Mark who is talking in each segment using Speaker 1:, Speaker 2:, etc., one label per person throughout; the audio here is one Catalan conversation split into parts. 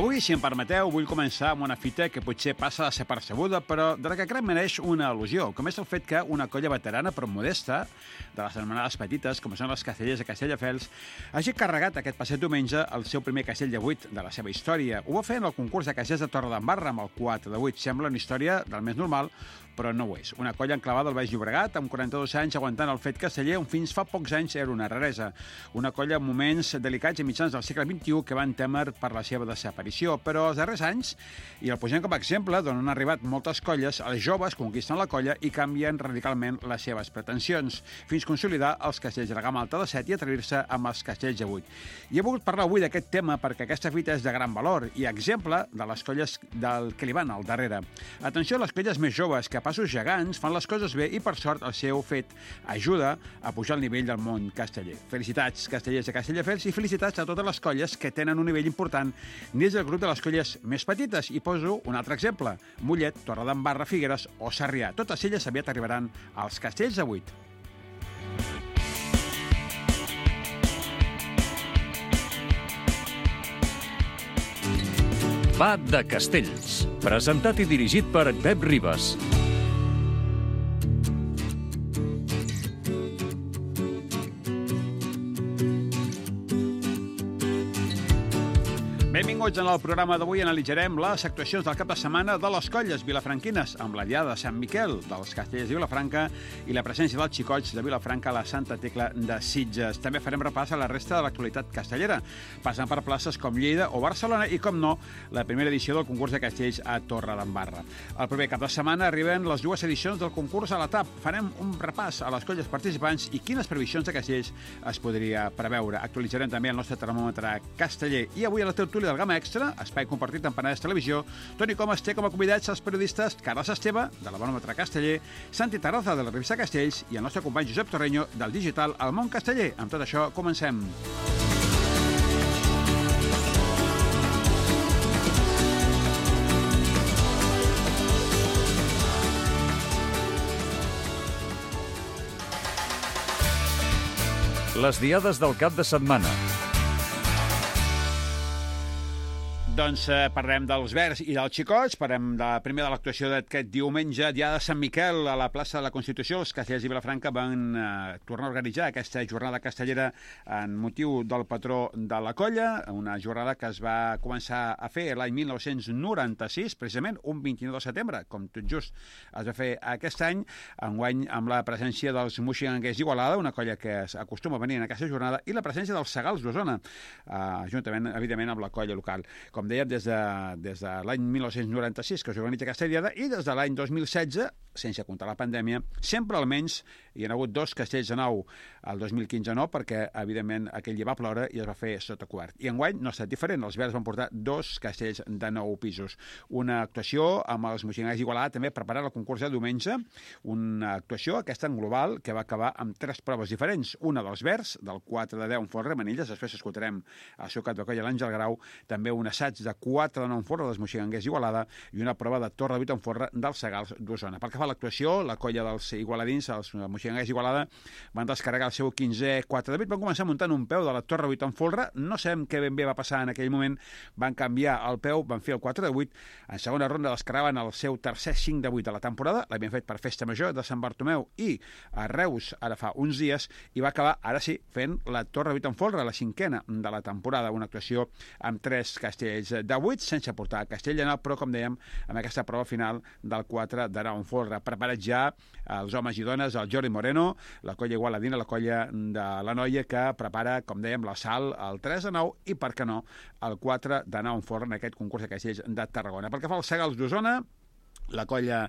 Speaker 1: Avui, si em permeteu, vull començar amb una fita que potser passa a ser percebuda, però de la que crec mereix una al·lusió, com és el fet que una colla veterana però modesta, de les anomenades petites, com són les Castellers de Castelldefels, hagi carregat aquest passat diumenge el seu primer castell de 8 de la seva història. Ho va fer en el concurs de castellers de Torredembarra amb el 4 de 8. Sembla una història del més normal, però no ho és. Una colla enclavada al Baix Llobregat, amb 42 anys, aguantant el fet casteller, on fins fa pocs anys era una raresa. Una colla en moments delicats i mitjans del segle XXI que van témer per la seva desaparició. Però els darrers anys, i el posem com a exemple, d'on han arribat moltes colles, els joves conquisten la colla i canvien radicalment les seves pretensions, fins consolidar els castells de la gamma alta de 7 i atrevir-se amb els castells de 8. I he volgut parlar avui d'aquest tema perquè aquesta fita és de gran valor i exemple de les colles del que li van al darrere. Atenció a les colles més joves que passos gegants fan les coses bé i, per sort, el seu fet ajuda a pujar el nivell del món casteller. Felicitats, castellers de Castelldefels, i felicitats a totes les colles que tenen un nivell important dins del grup de les colles més petites. I poso un altre exemple: Mollet, Torredembarra, Figueres o Sarrià. Totes elles aviat arribaran als castells de 8.
Speaker 2: Va de Castells, presentat i dirigit per Pep Ribas.
Speaker 1: Benvinguts en el programa d'avui. Analitzarem les actuacions del cap de setmana de les colles vilafranquines, amb la Diada de Sant Miquel dels Castellers de Vilafranca i la presència dels xicots de Vilafranca a la Santa Tecla de Sitges. També farem repàs a la resta de l'actualitat castellera, passant per places com Lleida o Barcelona i, com no, la primera edició del concurs de castells a Torredembarra. El proper cap de setmana arriben les dues edicions del concurs a la TAP. Farem un repàs a les colles participants i quines previsions de castells es podria preveure. Actualitzarem també el nostre termòmetre casteller. I avui a la tertúlia del Gamma Extra, espai compartit amb Penedès Televisió, Toni Comas té com a convidats els periodistes Carles Esteve, de la Baròmetre Casteller, Santi Tarraza, de la revista Castells, i el nostre company Josep Torreño, del digital El Món Casteller. Amb tot això, comencem.
Speaker 2: Les diades del cap de setmana.
Speaker 1: Doncs parlem dels verds i dels xicots. Parlem primer de l'actuació d'aquest diumenge, Diada de Sant Miquel, a la plaça de la Constitució. Els castellers de Vilafranca van tornar a organitzar aquesta jornada castellera en motiu del patró de la colla, una jornada que es va començar a fer l'any 1996, precisament un 29 de setembre, com tot just es va fer aquest any, enguany amb la presència dels Moixigangers d'Igualada, una colla que acostuma a venir en aquesta jornada, i la presència dels Segals d'Osona, juntament, evidentment, amb la colla local. Com dèiem, des de l'any 1996 que s'organitza aquesta diada, i des de l'any 2016, sense comptar la pandèmia, sempre almenys hi ha hagut 2 castells de 9. El 2015 no, perquè, evidentment, aquell dia va ploure i es va fer sota cobert. I enguany no ha estat diferent. Els verds van portar 2 castells de 9 pisos. Una actuació amb els Moixigangers d'Igualada, també preparar el concurs de diumenge, una actuació, aquesta en global, que va acabar amb 3 proves diferents. Una dels verds, del 4 de 10 en folre Manilles, després escoltarem el seu cap de colla, l'Àngel Grau, també un assaig de 4 de 9 en folre dels Moixigangers d'Igualada i una prova de torre de 8 en folre dels Segals d'Osona. Pel que fa a l'actuació, la colla dels igualadins, els Moixigangers d'Igualada, van descarregar el seu 15è 4 de 8, van començar muntant un peu de la torre 8 en folre, no sabem què ben bé va passar en aquell moment, van canviar el peu, van fer el 4 de 8, en segona ronda descarregaven el seu tercer 5 de 8 de la temporada, l'havien fet per Festa Major de Sant Bartomeu i a Reus ara fa uns dies, i va acabar, ara sí, fent la torre 8 en folre, la 5a de la temporada, una actuació amb 3 castells de 8, sense portar castell de 9, però, com dèiem, amb aquesta prova final del 4 de 9 en folre. Preparats ja els homes i dones, el Jordi Moreno, la colla igualadina, la colla de la noia, que prepara, com dèiem, la Sal, el 3 de 9 i, per què no, el 4 de 9 en folre en aquest concurs de castells de Tarragona. Pel que fa als Segals d'Osona, la colla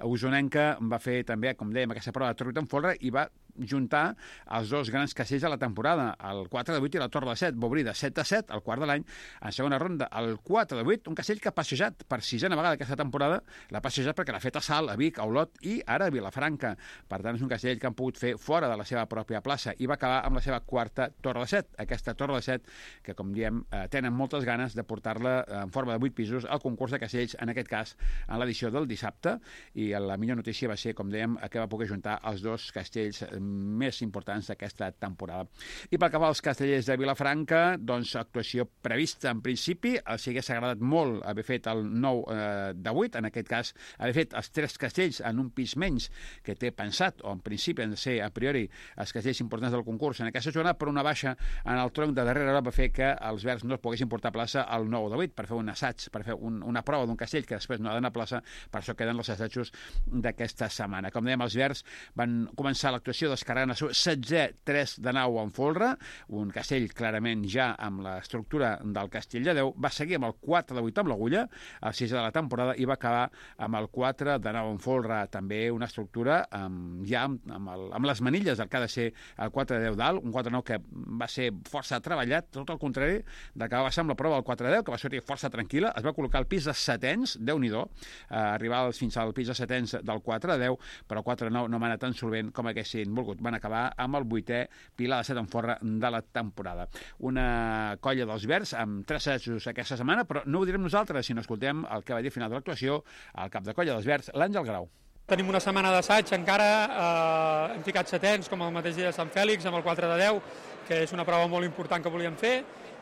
Speaker 1: usonenca va fer també, com dèiem, aquesta prova de torre 8 en folre i va juntar els 2 grans castells de la temporada, el 4 de 8 i la torre de 7. Va obrir de 7 a 7, el quart de l'any, en segona ronda, el 4 de 8, un castell que ha passejat per 6a vegada aquesta temporada, l'ha passejat perquè l'ha fet a Salt, a Vic, a Olot i ara a Vilafranca. Per tant, és un castell que han pogut fer fora de la seva pròpia plaça i va acabar amb la seva quarta torre de 7. Aquesta torre de 7, que, com diem, tenen moltes ganes de portar-la en forma de 8 pisos al concurs de castells, en aquest cas, en l'edició del dissabte, i la millor notícia va ser, com dèiem, que va poder juntar els 2 castells més importants d'aquesta temporada. I pel que va als castellers de Vilafranca, doncs actuació prevista en principi, els hagués agradat molt haver fet el 9 de 8, en aquest cas haver fet els 3 castells en un pis menys que té pensat, o en principi han de ser a priori els castells importants del concurs en aquesta jornada, però una baixa en el tronc de darrere hora va fer que els verds no es poguessin portar a plaça al 9 de 8 per fer un assaig, per fer una prova d'un castell que després no ha d'anar a plaça, per això queden els assajos d'aquesta setmana. Com dèiem, els verds van començar l'actuació descarregant el seu 16è 3 de nau en folre, un castell clarament ja amb l'estructura del castell de 10, va seguir amb el 4 de 8 amb l'agulla, el 6 de la temporada, i va acabar amb el 4 de nau en folre, també una estructura ja amb les manilles del que ha de ser el 4 de 10 dalt, un 4 de 9 que va ser força treballat, tot el contrari de que va ser amb la prova del 4 de 10, que va sortir força tranquil·la, es va col·locar al pis de setens, Déu-n'hi-do, arribar fins al pis de setens del 4 de 10, però 4 de 9 no va anar tan solvent com haguessin volgut. Van acabar amb el 8è pilar de 7 en forra de la temporada. Una colla dels verds amb 3 assajos aquesta setmana, però no ho direm nosaltres, sinó escoltem el que va dir al final de l'actuació el cap de colla dels verds, l'Àngel Grau.
Speaker 3: Tenim una setmana d'assaig encara, hem ficat setens com el mateix dia de Sant Fèlix amb el 4 de 10, que és una prova molt important que volíem fer.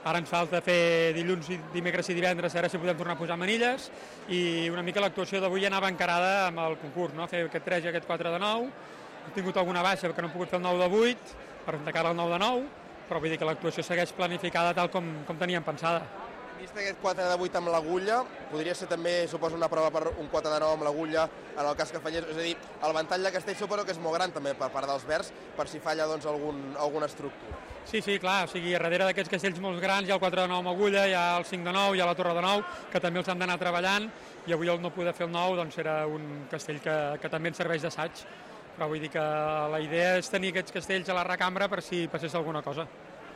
Speaker 3: Ara ens falta fer dilluns, dimecres i divendres, a veure si podem tornar a posar manilles, i una mica l'actuació d'avui anava encarada amb el concurs, no? Fer aquest 3 i aquest 4 de 9. He tingut alguna baixa perquè no he pogut fer el 9 de 8, per endecar el 9 de 9, però vull dir que l'actuació segueix planificada tal com teníem pensada.
Speaker 4: Vist aquest 4 de 8 amb l'agulla, podria ser també, suposo, una prova per un 4 de 9 amb l'agulla en el cas que fallés. És a dir, el ventall de castell suposo que és molt gran també per part dels verds, per si falla doncs, alguna estructura.
Speaker 3: Sí, clar, o sigui, darrere d'aquests castells molt grans hi ha el 4 de 9 amb agulla, hi ha el 5 de 9, hi ha la torre de 9, que també els hem d'anar treballant, i avui el no poder fer el 9 doncs era un castell que també ens serveix d'assaig, però vull dir que la idea és tenir aquests castells a la recambra per si passés alguna cosa.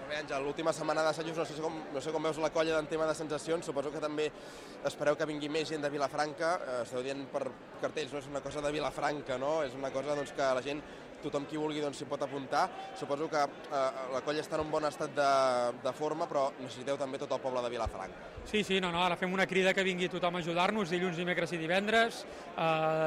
Speaker 4: Bé, Àngel, l'última setmana d'assajos, no sé com veus la colla en tema de sensacions, suposo que també espereu que vingui més gent de Vilafranca, esteu dient per cartells, no és una cosa de Vilafranca, no? És una cosa doncs, que la gent, tothom qui vulgui s'hi pot apuntar. Suposo que la colla està en un bon estat de forma, però necessiteu també tot el poble de Vilafranca.
Speaker 3: Sí, ara fem una crida que vingui tothom a ajudar-nos, dilluns, dimecres i divendres.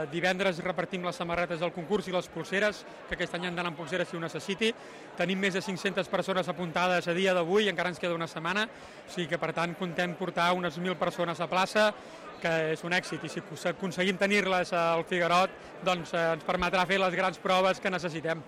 Speaker 3: Divendres repartim les samarretes del concurs i les pulseres, que aquest any han d'anar amb pulseres si ho necessiti. Tenim més de 500 persones apuntades a dia d'avui, encara ens queda una setmana, o sigui que per tant contem portar unes 1.000 persones a plaça, que és un èxit, i si aconseguim tenir-les al Figuerot, doncs ens permetrà fer les grans proves que necessitem.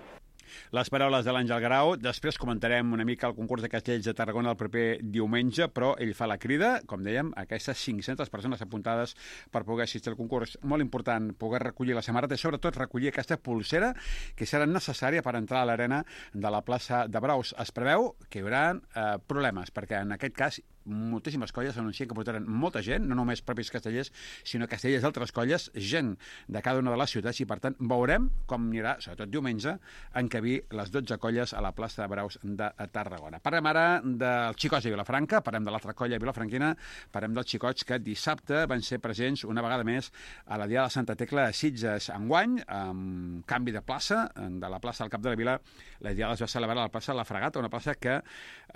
Speaker 1: Les paraules de l'Àngel Grau. Després comentarem una mica el concurs de castells de Tarragona el proper diumenge, però ell fa la crida, com dèiem, a aquestes 500 persones apuntades per poder assistir al concurs. Molt important poder recollir la samarreta i sobretot recollir aquesta pulsera que serà necessària per entrar a l'arena de la plaça de Braus. Es preveu que hi haurà problemes, perquè en aquest cas moltíssimes colles anuncien que portaran molta gent, no només propis castellers, sinó castellers d'altres colles, gent de cada una de les ciutats, i per tant veurem com anirà, sobretot diumenge, encabir les 12 colles a la plaça de Braus de Tarragona. Parlem ara dels xicots de Vilafranca, parlem de l'altra colla vilafranquina, parlem dels xicots que dissabte van ser presents una vegada més a la Diada de Santa Tecla a Sitges. Enguany, amb canvi de plaça, de la plaça del Cap de la Vila, la Diada es va celebrar a la plaça de la Fragata, una plaça que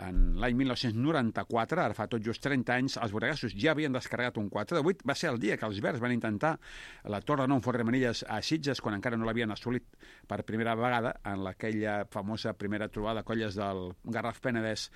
Speaker 1: en l'any 1994, ara fa tot just 30 anys, els borregassos ja havien descarregat un 4 de 8. Va ser el dia que els verds van intentar la torre de 9 Forre Manilles a Sitges, quan encara no l'havien assolit per primera vegada en aquella famosa primera trobada de colles del Garraf Penedès,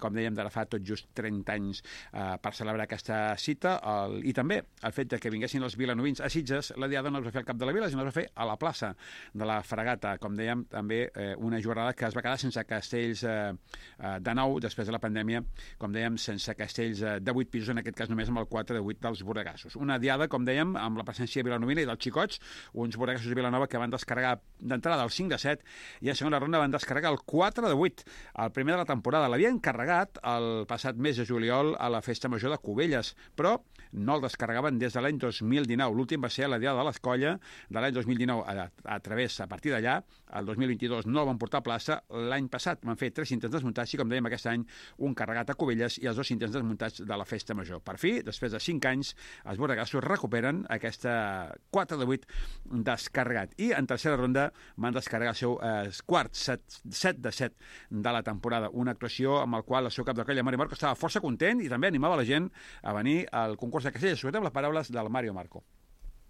Speaker 1: com dèiem, d'ara fa tot just 30 anys, per celebrar aquesta cita. I també el fet que vinguessin els vilanovins a Sitges, la Diada no es va fer al Cap de la Vila, sinó es va fer a la plaça de la Fragata. Com dèiem, també una jornada que es va quedar sense castells de 9 després de la pandèmia, com dèiem, sense castells de 8 pisos, en aquest cas només amb el 4 de 8 dels borregassos. Una diada, com dèiem, amb la presència vilanovina i dels xicots, uns borregassos de Vilanova que van descarregar d'entrada el 5 de 7 i a segona ronda van descarregar el 4 de 8, el primer de la temporada. L'havien carregat el passat mes de juliol a la Festa Major de Cubelles, però no el descarregaven des de l'any 2019. L'últim va ser a la Diada de l'Escolla de l'any 2019. A partir d'allà, el 2022 no el van portar a plaça. L'any passat van fer 3 intents desmuntats i, com dèiem, aquest any un carregat a Cubelles i els 2 intents desmuntats de la Festa Major. Per fi, després de 5 anys, els borregassos recuperen aquesta 4 de 8 descarregat. I en tercera ronda van descarregar el seu quart 7 de 7 de la temporada. Una actuació amb el qual el seu cap de colla, Mario Marco, estava força content i també animava la gent a venir al concurs de castells. Escoltem les paraules del Mario Marco.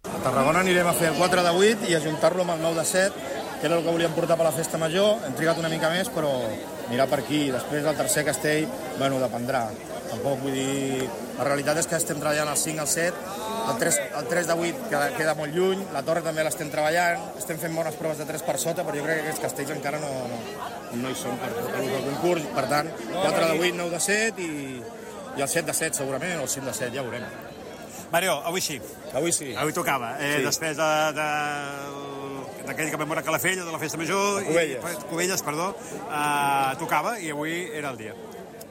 Speaker 5: A Tarragona anirem a fer el 4 de 8 i ajuntar-lo amb el 9 de 7 que era el que volíem portar per la festa major. Hem trigat una mica més, però mirar per aquí. Després del tercer castell, bueno, dependrà. Tampoc vull dir... La realitat és que estem treballant el 5, el 7, el 3 de 8 queda molt lluny, la torre també l'estem treballant, estem fent bones proves de 3 per sota, però jo crec que aquests castells encara no hi són per el concurs. Per tant, 4 de 8, 9 de 7 i el 7 de 7 segurament, o el 5 de 7, ja ho veurem.
Speaker 1: Mario, avui sí.
Speaker 5: Avui sí.
Speaker 1: Avui tocava.
Speaker 5: Sí.
Speaker 1: Després d'aquell que vam veure a Calafell, de la festa major... Cubelles, perdó. Tocava i avui era el dia.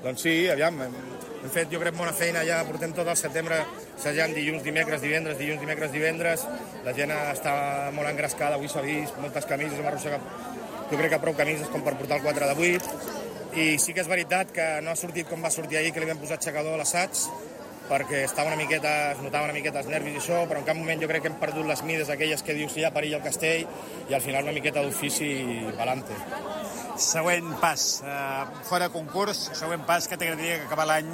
Speaker 5: Doncs sí, aviam, hem fet, jo crec, bona feina ja, portem tot el setembre assajant dilluns, dimecres, divendres. La gent està molt engrescada, avui s'ha vist, moltes camises, hem arrossegat, jo crec que prou camises com per portar el 4 de 8. I sí que és veritat que no ha sortit com va sortir ahir, que li vam posar aixecador a l'assaig, perquè es notava una miqueta els nervis i això, però en cap moment jo crec que hem perdut les mides aquelles que dius si hi ha perill al castell, i al final una miqueta d'ofici i pa'lante.
Speaker 1: Següent pas, fora concurs, següent pas que t'agradaria que acabar l'any?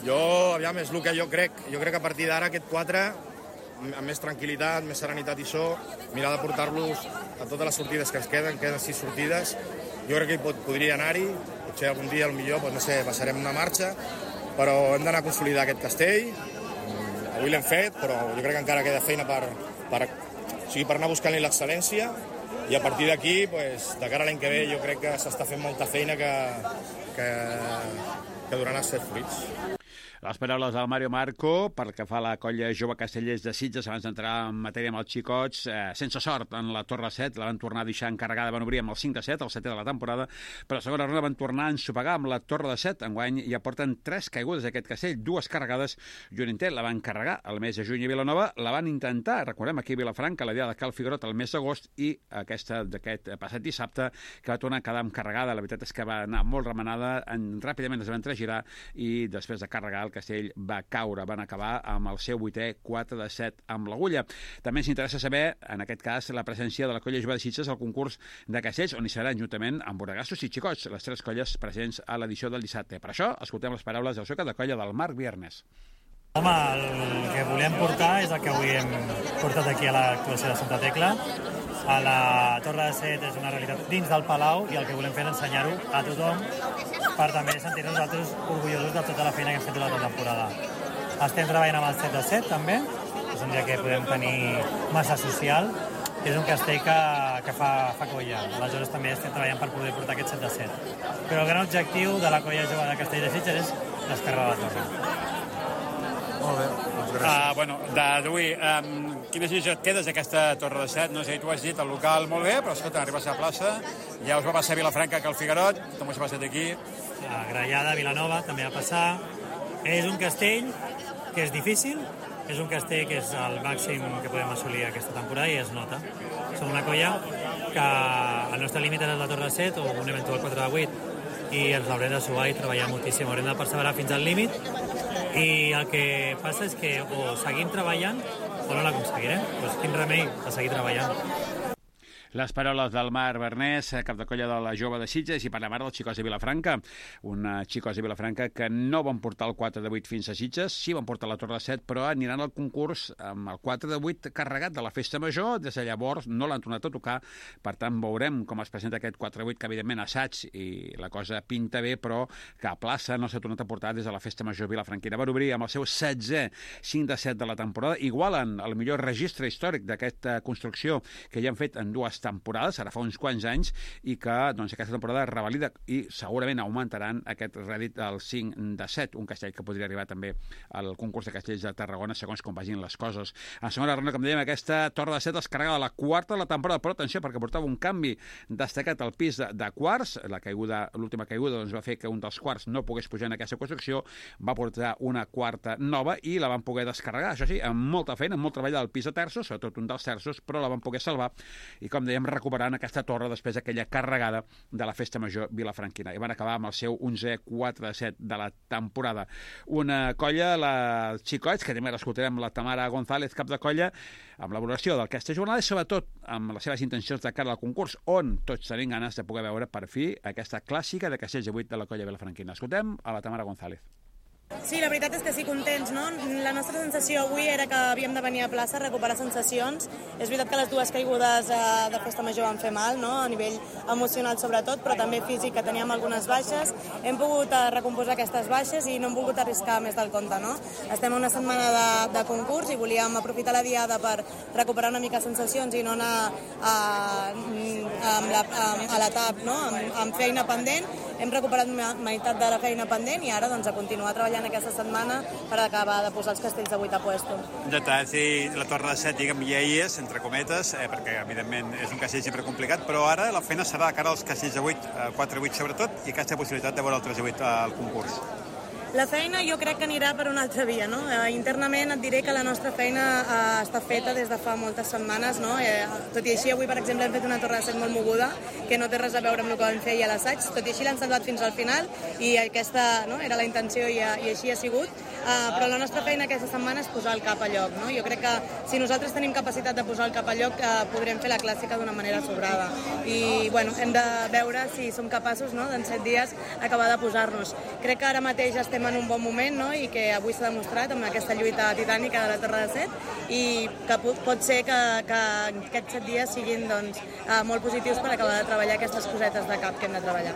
Speaker 5: Aviam, és el que jo crec. Jo crec que a partir d'ara aquest 4, amb més tranquil·litat, més serenitat i això, mirar de portar-los a totes les sortides que ens queden 6 sortides. Jo crec que podria anar-hi, potser algun dia, potser, no sé, passarem una marxa, però hem d'anar a consolidar aquest castell. Avui l'hem fet, però jo crec que encara queda feina per anar buscant-li l'excel·lència, i a partir d'aquí, de cara a l'any que ve, jo crec que s'està fent molta feina que donarà certs fruits.
Speaker 1: Les paraules del Mario Marco pel que fa a la colla jove Castellers de Sitges abans d'entrar en matèria amb els xicots, sense sort en la Torre 7, la van tornar a deixar encarregada, van obrir amb el 5 de 7, el 7è de la temporada, però a la segona ronda van tornar a ensopegar amb la Torre de 7. Enguany ja porten 3 caigudes d'aquest castell, 2 carregades i un intent. La van carregar el mes de juny a Vilanova, la van intentar, recordem, aquí a Vilafranca, la dia de Cal Figuerot el mes d'agost, i aquesta d'aquest passat dissabte, que va tornar a quedar carregada. La veritat és que va anar molt remenada, ràpidament es van tragirar i després de carregar el castell va caure, van acabar amb el seu 8è 4 de 7 amb l'agulla. També ens interessa saber, en aquest cas, la presència de la colla jove de Sitges al concurs de castells, on hi seran juntament amb Boregassos i Xicots, les 3 colles presents a l'edició del dissabte. Per això, escoltem les paraules del seu cap de colla, del Marc Viernes.
Speaker 6: Home, el que volem portar és el que avui hem portat aquí a l'actuació de Santa Tecla. A la Torre de Set és una realitat dins del Palau, i el que volem fer és ensenyar-ho a tothom per també sentir-nos nosaltres orgullosos de tota la feina que hem fet durant la temporada. Estem treballant amb el 7 de 7 també, és un dia que podem tenir massa social, és un castell que fa colla. Aleshores també estem treballant per poder portar aquest 7 de 7. Però el gran objectiu de la colla jove de Castell de Sitges és descarregar la torre.
Speaker 5: Molt bé, doncs gràcies.
Speaker 1: D'avui, quina decisió et quedes d'aquesta Torre de 7? No sé, tu has dit el local molt bé, però escolta, arribes a la plaça, ja us va passar a Vilafranca que al Figuerot, com us ha passat aquí?
Speaker 6: A Grallada, Vilanova, també va passar. És un castell que és difícil, és un castell que és el màxim que podem assolir aquesta temporada i es nota. Som una colla que el nostre límit és la Torre de 7 o un eventual 4 de 8, i ens l'haurem de suar i treballar moltíssim. Haurem de perseverar fins al límit, i el que passa és que o seguim treballant o no l'aconseguirem. Doncs quin remei de seguir treballant.
Speaker 1: Les paraules del Marc Vernès, cap de colla de la jove de Sitges, i parlem ara dels xicots de Vilafranca. Una xicots de Vilafranca que no van portar el 4 de 8 fins a Sitges, sí van portar la Torre de 7, però aniran al concurs amb el 4 de 8 carregat de la festa major. Des de llavors no l'han tornat a tocar, per tant veurem com es presenta aquest 4 de 8, que evidentment assaig i la cosa pinta bé, però que a plaça no s'ha tornat a portar des de la festa major vilafranquina. Van obrir amb el seu 16è 5 de 7 de la temporada, igualen el millor registre històric d'aquesta construcció que ja han fet en 2 temporades, ara fa uns quants anys, i que doncs, aquesta temporada revalida i segurament augmentaran aquest rèdit al 5 de 7, un castell que podria arribar també al concurs de castells de Tarragona segons com vagin les coses. En segona ronda, com dèiem, aquesta Torre de 7 es carrega de la 4ª de la temporada, però atenció, perquè portava un canvi destacat al pis de quarts. L'última caiguda doncs, va fer que un dels quarts no pogués pujar en aquesta construcció, va portar una 4ª nova i la van poder descarregar, això sí, amb molta feina, amb molt treball del pis de terços, sobretot un dels terços, però la van poder salvar i, com dèiem, recuperant aquesta torre després d'aquella carregada de la festa major vilafranquina. I van acabar amb el seu 11è 4 de 7 de la temporada. Una colla, els xicots, que també l'escoltarem la Tamara González, cap de colla, amb la valoració del castell jornada i sobretot amb les seves intencions de cara al concurs, on tots tenim ganes de poder veure per fi aquesta clàssica de castells de 8 de la colla vilafranquina. Escoltem a la Tamara González.
Speaker 7: Sí, la veritat és que sí, contents, no? La nostra sensació avui era que havíem de venir a plaça a recuperar sensacions. És veritat que les dues caigudes de Festa Major van fer mal, no? A nivell emocional sobretot, però també físic, que teníem algunes baixes. Hem pogut recomposar aquestes baixes i no hem volgut arriscar més del compte, no? Estem a una setmana de concurs i volíem aprofitar la diada per recuperar una mica sensacions i no anar a l'etap, no? Amb feina pendent. Hem recuperat meitat de la feina pendent i ara doncs, a continuar treballant aquesta setmana per acabar de posar els castells de 8 a puesto.
Speaker 1: Sí, la Torre de 7, diguem, ja hi és, entre cometes, perquè evidentment és un castell sempre complicat, però ara la feina serà de cara als castells de 8, 4 a 8 sobretot, i aquesta possibilitat de veure el 3 a 8 al concurs.
Speaker 7: La feina jo crec que anirà per una altra via, no? Internament et diré que la nostra feina està feta des de fa moltes setmanes, no? Tot i així, avui, per exemple, hem fet una torre de 7 molt moguda, que no té res a veure amb el que vam fer a l'assaig, tot i així l'han salvat fins al final, i aquesta era la intenció i així ha sigut, però la nostra feina aquesta setmana és posar el cap a lloc, no? Jo crec que si nosaltres tenim capacitat de posar el cap a lloc, podrem fer la clàssica d'una manera sobrada. I, bueno, hem de veure si som capaços, no?, d'en 7 dies acabar de posar-nos. Crec que ara mateix estem en un bon moment, no?, i que avui s'ha demostrat amb aquesta lluita titànica de la Torre de 7 i que pot ser que aquests 7 dies siguin doncs, molt positius per acabar de treballar aquestes cosetes de cap que hem de treballar.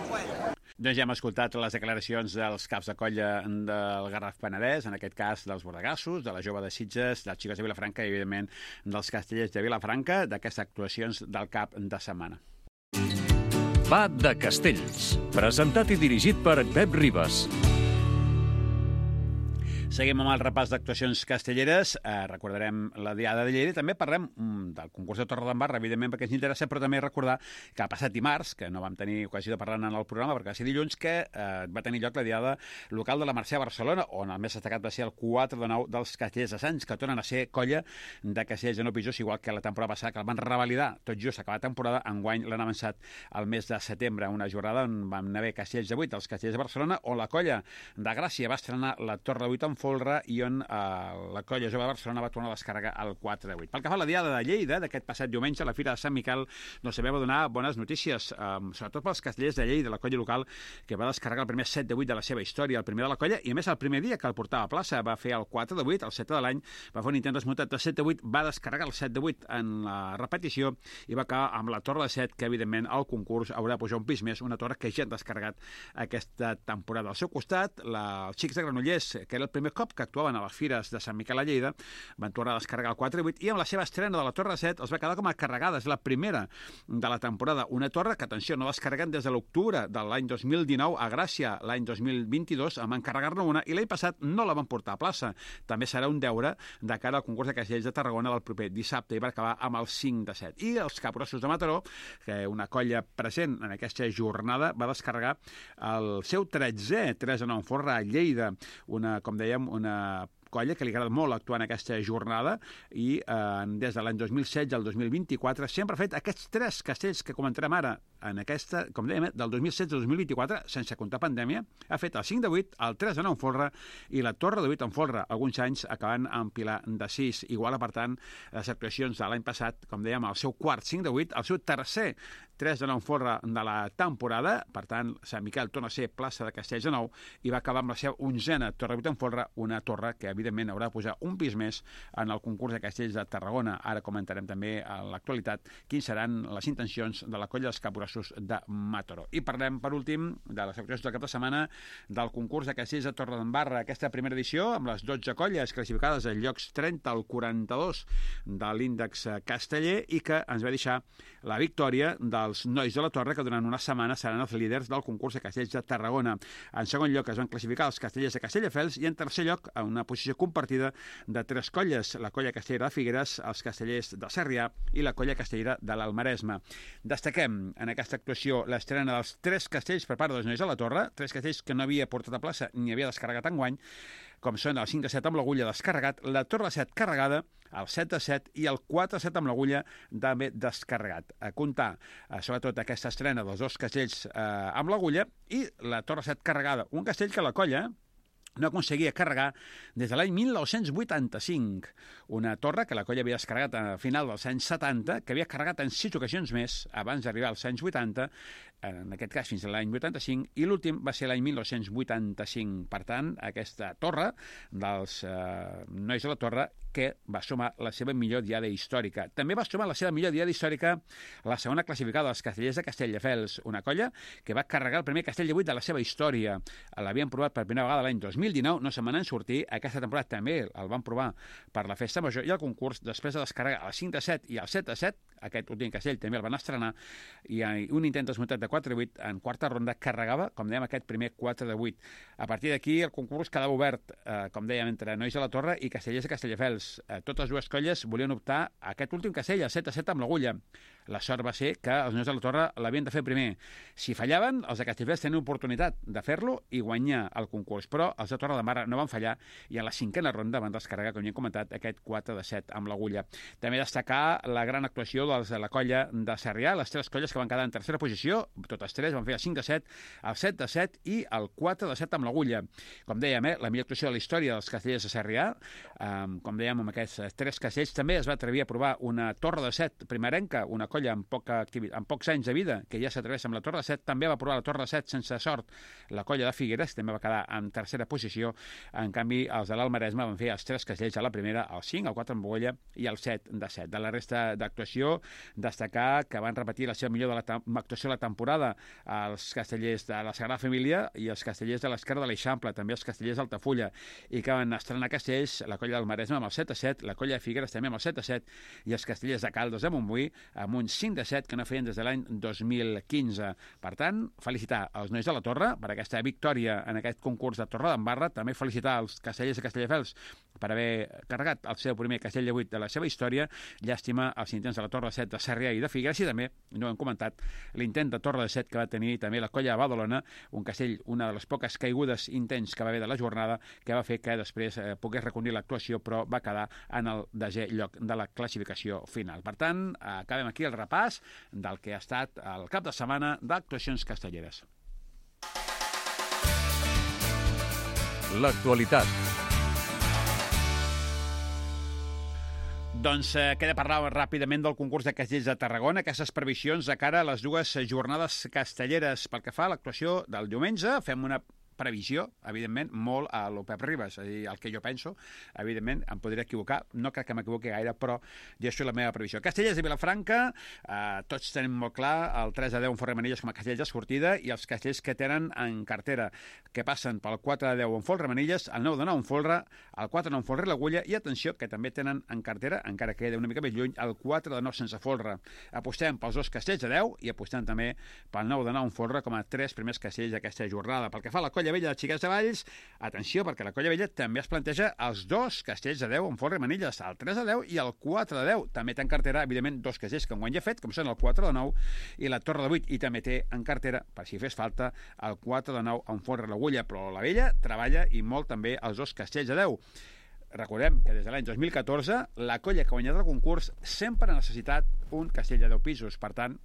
Speaker 1: Doncs ja hem escoltat les declaracions dels caps de colla del Garraf Penedès, en aquest cas dels Bordegassos, de la Jove de Sitges, dels Xicots de Vilafranca i, evidentment, dels Castellers de Vilafranca, d'aquestes actuacions del cap de setmana.
Speaker 2: Va de Castells, presentat i dirigit per Pep Ribas.
Speaker 1: Seguim amb el repàs d'actuacions castelleres. Recordarem la Diada de Lleida i també parlem del concurs de Torredembarra, evidentment, perquè ens interessa, però també recordar que ha passat dimarts, que no vam tenir ocasió de parlar en el programa, perquè va ser dilluns, que va tenir lloc la Diada local de la Mercè a Barcelona, on el més destacat va ser el 4 de 9 dels Castellers de Sants, que tornen a ser colla de castellers de 9 pisos, igual que la temporada passada, que el van revalidar tot just acabar la temporada. Enguany l'han avançat al mes de setembre, una jornada on van haver castellers de 8 dels Castellers de Barcelona, on la colla de Gràcia va estrenar la Torre de 8 en folre i on la colla jove de Barcelona va tornar a descarregar el 4 de 8. Pel que fa a la Diada de Lleida, d'aquest passat diumenge, a la Fira de Sant Miquel, doncs sabeu donar bones notícies, sobretot pels castellers de Lleida, la colla local, que va descarregar el primer 7 de 8 de la seva història, el primer de la colla, i a més el primer dia que el portava a plaça va fer el 4 de 8, el 7 de l'any, va fer un intent desmuntat de 7 de 8, va descarregar el 7 de 8 en la repetició i va acabar amb la Torre de 7, que evidentment al concurs haurà de pujar un pis més, una torre que ja han descarregat aquesta temporada. Al seu costat, els xics de Granollers, que era el primer cop que actuaven a les fires de Sant Miquel a Lleida, van tornar a descarregar el 4 i 8 i amb la seva estrena de la Torre 7 els va quedar com a carregada. És la primera de la temporada. Una torre que, atenció, no descarreguen des de l'octubre de l'any 2019 a Gràcia. L'any 2022 en van carregar-ne una i l'any passat no la van portar a plaça. També serà un deure de cara al concurs de castellers de Tarragona del proper dissabte i va acabar amb el 5 de 7. I els Capgrossos de Mataró, que una colla present en aquesta jornada, va descarregar el seu 13è 3 de 9 forra a Lleida. Com dèiem, una colla que li agrada molt actuar en aquesta jornada i des de l'any 2016 al 2024 sempre ha fet aquests 3 castells que comentarem ara en aquesta, com dèiem, del 2016 al 2024, sense comptar pandèmia, ha fet el 5 de 8, el 3 de 9 en folre i la Torre de 8 en folre, alguns anys acabant amb Pilar de 6. Igual, per tant, les actuacions de l'any passat, com dèiem, el seu quart 5 de 8, el seu tercer 3 de 9 en folre de la temporada, per tant, Sant Miquel torna a ser plaça de Castells de 9 i va acabar amb la seva 11a Torre 8 en folre, una torre que, evidentment, haurà de posar un pis més en el concurs de castells de Tarragona. Ara comentarem també a l'actualitat quins seran les intencions de la colla dels Capgrossos de Mataró. I parlem, per últim, de les actuacions del cap de setmana del concurs de castells de Torredembarra. Aquesta primera edició, amb les 12 colles classificades en llocs 30 al 42 de l'índex casteller i que ens va deixar la victòria dels nois de la Torre, que durant una setmana seran els líders del concurs de castells de Tarragona. En segon lloc es van classificar els castellers de Castelldefels i en tercer lloc, en una posició compartida de 3 colles, la colla castellera de Figueres, els castellers de Sarrià i la colla castellera de l'Almaresme. Destaquem en aquesta actuació l'estrena dels 3 castells per part dels nois de la Torre, 3 castells que no havia portat a plaça ni havia descarregat enguany, com són el 5 de 7 amb l'agulla descarregat, la Torre 7 carregada, el 7 de 7 i el 4 de 7 amb l'agulla també descarregat. A comptar, sobretot, aquesta estrena dels 2 castells amb l'agulla i la Torre 7 carregada. Un castell que la colla no aconseguia carregar des de l'any 1985. Una torre que la colla havia descarregat a final dels anys 70, que havia carregat en 6 ocasions més abans d'arribar als anys 80, en aquest cas fins a l'any 85, i l'últim va ser l'any 1985. Per tant, aquesta torre dels Nois de la Torre, que va sumar la seva millor diada històrica. També va sumar la seva millor diada històrica la segona classificada dels Castellers de Castelldefels, una colla que va carregar el primer castell de 8 de la seva història. L'havien provat per primera vegada l'any 2019, no se'n van en sortir. Aquesta temporada també el van provar per la festa major i el concurs, després de descarregar el 5 de 7 i el 7 de 7, aquest últim castell també el van estrenar, i un intent desmuntat de 4 de 8 en quarta ronda carregava, com dèiem, aquest primer 4 de 8. A partir d'aquí el concurs quedava obert, com dèiem, entre Nois de la Torre i Castellers de Castelldefels. Totes dues colles volien optar a aquest últim castell, el 7 a 7 amb l'agulla. La sort va ser que els Nois de la Torre l'havien de fer primer. Si fallaven, els de Castelldefels tenien oportunitat de fer-lo i guanyar el concurs, però els de Torredembarra no van fallar i a la 5a ronda van descarregar, com ja hem comentat, aquest 4 de 7 amb l'agulla. També destacar la gran actuació dels de la colla de Sarrià, les 3 colles que van quedar en tercera posició, totes 3 van fer el 5 de 7, el 7 de 7 i el 4 de 7 amb l'agulla. Com dèiem, la millor actuació de la història dels Castellers de Sarrià, com dèiem, amb aquests 3 castells també es va atrevir a provar una torre de 7 primerenca, una colla amb pocs anys de vida, que ja s'atreveix amb la torre de 7, també va provar la torre de 7 sense sort. La colla de Figueres també va quedar en tercera posició. En canvi, els de l'Alt Maresme van fer els 3 castells a la primera, el 5, el 4 amb agulla i el 7 de 7. De la resta d'actuació, destacar que van repetir la seva millor actuació de la temporada els castellers de la Sagrada Família i els castellers de l'Esquerra de l'Eixample, també els castellers d'Altafulla, i que van estrenar castells la colla del Maresme amb el 7 a 7, la colla de Figueres també amb el 7 a 7 i els castellers de Caldes de Montbui amb un 5 de 7 que no feien des de l'any 2015. Per tant, felicitar els Nois de la Torre per aquesta victòria en aquest concurs de Torredembarra, també felicitar els castellers de Castelldefels per haver carregat el seu primer castell de 8 de la seva història. Llàstima els intents de la Torre de 7 de Sarrià i de Figueres, i també, no ho hem comentat, l'intent de Torre de 7 que va tenir també la colla de Badalona, un castell, una de les poques caigudes intents que va haver de la jornada, que va fer que després pogués reconir l'actuació, però va quedar en el desè lloc de la classificació final. Per tant, acabem aquí el repàs del que ha estat el cap de setmana d'actuacions castelleres.
Speaker 2: L'actualitat.
Speaker 1: Doncs queda parlar ràpidament del concurs de castells de Tarragona, aquestes previsions de cara a les dues jornades castelleres. Pel que fa a l'actuació del diumenge, fem una previsió, evidentment, molt a lo Pep Ribas, és a dir, el que jo penso, evidentment, em podria equivocar, no crec que m'equivoqui gaire, però ja és la meva previsió. Castellers de Vilafranca, tots tenim molt clar el 3 de 10 en Folremanilles com a castells de sortida i els castells que tenen en cartera, que passen pel 4 de 10 en Folremanilles, el 9 de 9 en Folre, el 4 de 9 en Folre i l'Agulla, i atenció, que també tenen en cartera, encara que queda una mica més lluny, el 4 de 9 sense Folre. Apostem pels 2 castells de 10 i apostem també pel 9 de 9 en Folre com a 3 primers castells d'aquesta jornada. Pel que fa a la Colla Vella de Xiquets de Valls, atenció, perquè la Colla Vella també es planteja els 2 castells de 10 en Folre i Manilles, el 3 de 10 i el 4 de 10. També té en cartera, evidentment, 2 castells que enguany ja ha fet, com són el 4 de 9 i la Torre de 8, i també té en cartera, per si fes falta, el 4 de 9 en Folre i l'Agulla, però la Vella treballa i molt també els 2 castells de 10. Recordem que des de l'any 2014 la colla que ha guanyat el concurs sempre ha necessitat un castell de 10 pisos, per tant,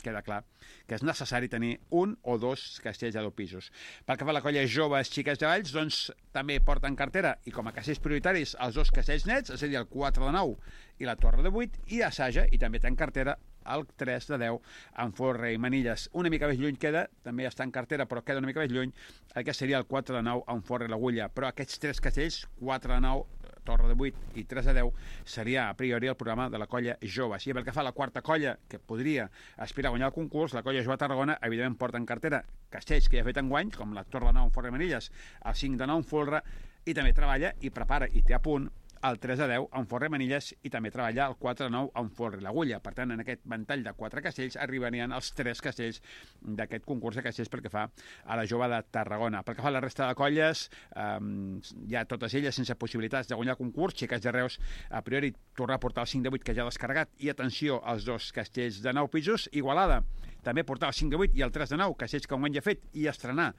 Speaker 1: queda clar que és necessari tenir un o 2 castells de 10 pisos. Pel que fa a la colla Joves Xiquets de Valls, doncs també porta en cartera i com a castells prioritaris els 2 castells nets, és a dir, el 4 de 9 i la Torre de 8, i assaja i també té en cartera el 3 de 10 en Folre i Manilles. Una mica més lluny queda, també està en cartera, però queda una mica més lluny el que seria el 4 de 9 en Folre i l'Agulla. Però aquests 3 castells, 4 de 9, Torre de 8 i 3 de 10, seria a priori el programa de la colla Joves. I pel que fa a la quarta colla, que podria aspirar a guanyar el concurs, la colla Jove Tarragona, evidentment porta en cartera castells que ja ha fet enguany, com la Torre de 9 en Folre i Manilles, el 5 de 9 en Folre, i també treballa i prepara i té a punt el 3 de 10 en Folre i Manilles, i també treballa el 4 de 9 en Folre i l'Agulla. Per tant, en aquest ventall de 4 castells arribarien els 3 castells d'aquest concurs de castells pel que fa a la Jove de Tarragona. Pel que fa a la resta de colles, hi ha totes elles sense possibilitats de guanyar el concurs. Xiquets de Reus, a priori, tornar a portar el 5 de 8 que ja ha descarregat, i atenció als 2 castells de 9 pisos. Igualada també portar el 5 de 8 i el 3 de 9, castells que enguany ja ha fet, i estrenar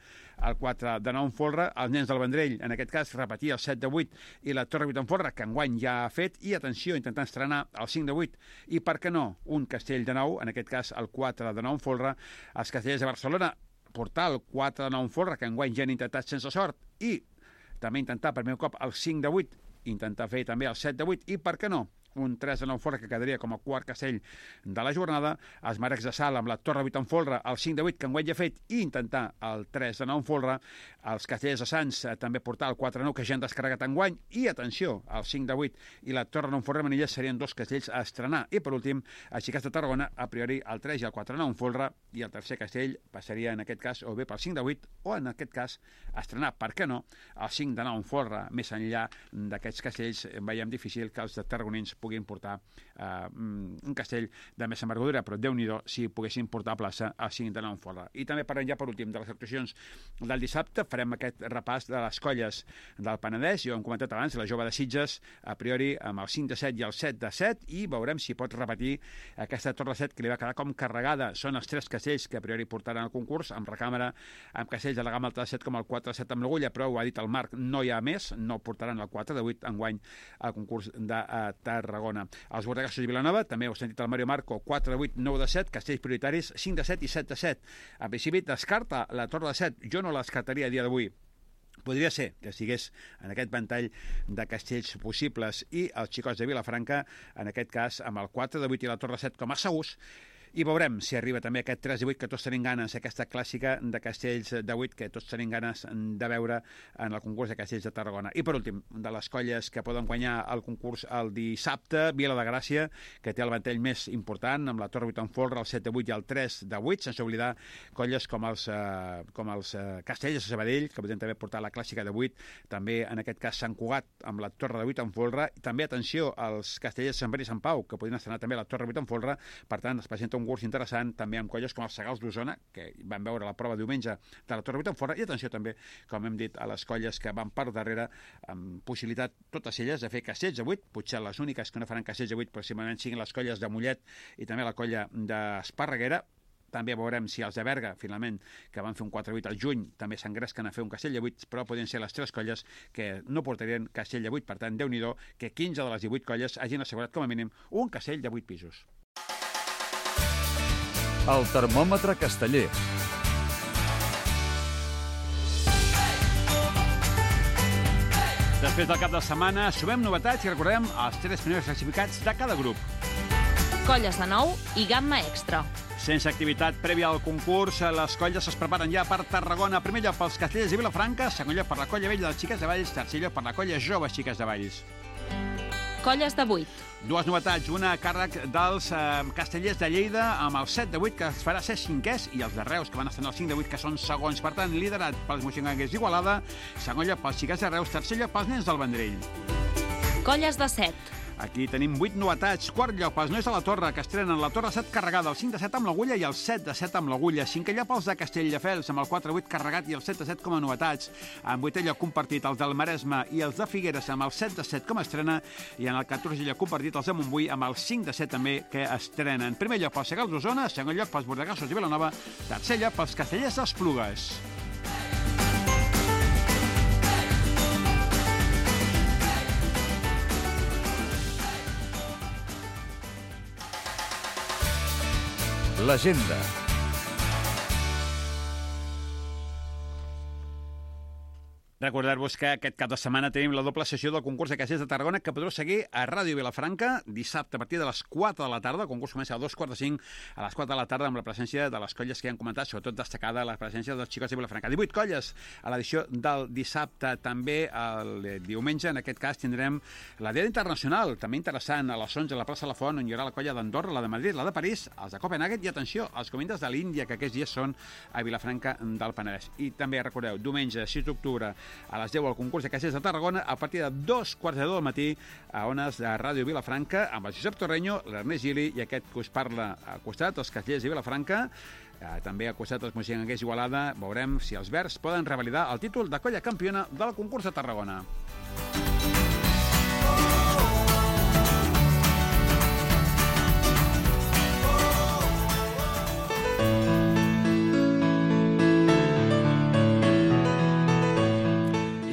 Speaker 1: el 4 de 9 en Folre, els nens del Vendrell, en aquest cas, repetir el 7 de 8 i la Torre 8 en Folre, que enguany ja ha fet, i atenció, intentant estrenar el 5 de 8, i per què no, un castell de 9, en aquest cas el 4 de 9 en Folre, els castellers de Barcelona, portar el 4 de 9 en Folre, que enguany ja han intentat sense sort, i també intentar per primer cop el 5 de 8, intentar fer també el 7 de 8 i, per què no, un 3 de 9 folre que quedaria com a quart castell de la jornada, els Marecs de Sal amb la Torre 8 en folre, el 5 de 8 que enguany ja ha fet i intentar el 3 de 9 en folre, els Castellers de Sants també portar el 4 de 9 que ja han descarregat enguany i, atenció, el 5 de 8 i la Torre 9 en folre Manilles serien dos castells a estrenar i, per últim, els Xiquets de Tarragona, a priori el 3 i el 4 de 9 en folre i el tercer castell passaria en aquest cas o bé pel 5 de 8 o en aquest cas estrenar, per què no, el 5 de 9 en folre. Més enllà d'aquests castells veiem difícil que els de tarragonins puguin portar un castell de més envergadura, però Déu-n'hi-do si poguessin portar a plaça el 5 de 9 en folre. I també parlem ja per últim de les actuacions del dissabte, farem aquest repàs de les colles del Penedès, jo hem comentat abans, la Jove de Sitges, a priori amb el 5 de 7 i el 7 de 7, i veurem si pot repetir aquesta Torre 7 que li va quedar com carregada. Són els tres castells que a priori portaran al concurs, amb recàmera, amb castells de la gamma alta de 7 com el 4 de 7 amb l'Agulla, però ho ha dit el Marc, no hi ha més, no portaran el 4 de 8 enguany al concurs de Tarragona. Els Bordegassos i Vilanova, també ho ha sentit el Mario Marco, 4 de 8, 9 de 7, castells prioritaris, 5 de 7 i 7 de 7. En principi descarta la Torre de 7, jo no la descartaria a dia d'avui. Podria ser que estigués en aquest ventall de castells possibles i els Xicots de Vilafranca, en aquest cas, amb el 4 de 8 i la Torre 7 com a segurs, i veurem si arriba també aquest 3 de 8 que tots tenim ganes, aquesta clàssica de castells de 8 que tots tenim ganes de veure en el concurs de castells de Tarragona. I per últim, de les colles que poden guanyar el concurs el dissabte, Vila de Gràcia, que té el ventall més important, amb la Torre 8 en folre, el 7 de 8 i el 3 de 8, sense oblidar colles com els Castells de Sabadell, que podem també portar la clàssica de 8, també en aquest cas Sant Cugat amb la Torre de 8 en folre, i també, atenció, els Castellers de Sant Pere i Sant Pau, que podien estrenar també la Torre 8 en folre, per tant, es presenta un concurs interessant també amb colles com els Segals d'Osona, que van veure la prova diumenge de la Torre 8 en folre, i atenció també, com hem dit, a les colles que van per darrere, amb possibilitat totes elles de fer castells de 8, potser les úniques que no faran castells de 8 possiblement siguin les colles de Mollet i també la colla d'Esparreguera. També veurem si els de Berga, finalment, que van fer un 4-8 al juny, també s'engresquen a fer un castell de 8, però podien ser les tres colles que no portarien castell de 8. Per tant, Déu-n'hi-do que 15 de les 18 colles hagin assegurat com a mínim un castell de 8 pisos.
Speaker 2: El termòmetre casteller.
Speaker 1: Després del cap de setmana, sumem novetats i recordem els tres primers classificats de cada grup.
Speaker 8: Colles de nou i gamma extra.
Speaker 1: Sense activitat prèvia al concurs, les colles es preparen ja per Tarragona. Primer lloc pels Castellers i Vilafranca, segon lloc per la colla vella dels Xiquets de Valls, tercer lloc per la colla jove Xiquets de Valls.
Speaker 8: Colles de 8.
Speaker 1: Dues novetats, una a càrrec dels Castellers de Lleida amb el 7 de 8 que es farà ser cinquès i els de Reus que van estar en el 5 de 8 que són segons. Per tant, liderat pels moixonganguers d'Igualada, segon lloc pels Xiquets de Reus, tercer lloc pels nens del Vendrell.
Speaker 8: Colles de 7.
Speaker 1: Aquí tenim 8 novetats. Quart lloc pels nois de la Torre, que estrenen la Torre 7 carregada, el 5 de 7 amb l'Agulla i el 7 de 7 amb l'Agulla. Cinquè lloc pels de Castelldefels, amb el 4 de 8 carregat i el 7 de 7 com a novetats. En vuitè lloc compartit els del Maresme i els de Figueres amb el 7 de 7 com a estrena, i en el 14è lloc compartit els de Montbui amb el 5 de 7 també que estrenen. Primer lloc pels Segals d'Osona, segon lloc pels Bordegassos i Vilanova, tercer lloc pels Castellers d'Esplugues.
Speaker 2: L'agenda.
Speaker 1: Recordar-vos que aquest cap de setmana tenim la doble sessió del concurs de castells de Tarragona que podreu seguir a Ràdio Vilafranca dissabte a partir de les 4 de la tarda. El concurs comença a 2:45 a les 4 de la tarda amb la presència de les colles que ja han comentat, sobretot destacada la presència dels Xicots de Vilafranca. 18 colles a l'edició del dissabte. També el diumenge, en aquest cas, tindrem la Diada Internacional, també interessant, a les 11 a la plaça La Font, on hi haurà la colla d'Andorra, la de Madrid, la de París, els de Copenhagen i, atenció, els comindes de l'Índia, que aquests dies són a Vilafranca del Penedès. I també, recordeu, diumenge, 6 d'octubre, a les 10 al concurs de castells de Tarragona a partir de 2:15 del matí a ones de Ràdio Vilafranca amb el Josep Torreño, l'Ernest Gili i aquest que us parla al costat, els Castellers de Vilafranca, també al costat dels moixonganguers d'Igualada. Veurem si els verds poden revalidar el títol de colla campiona del concurs de Tarragona.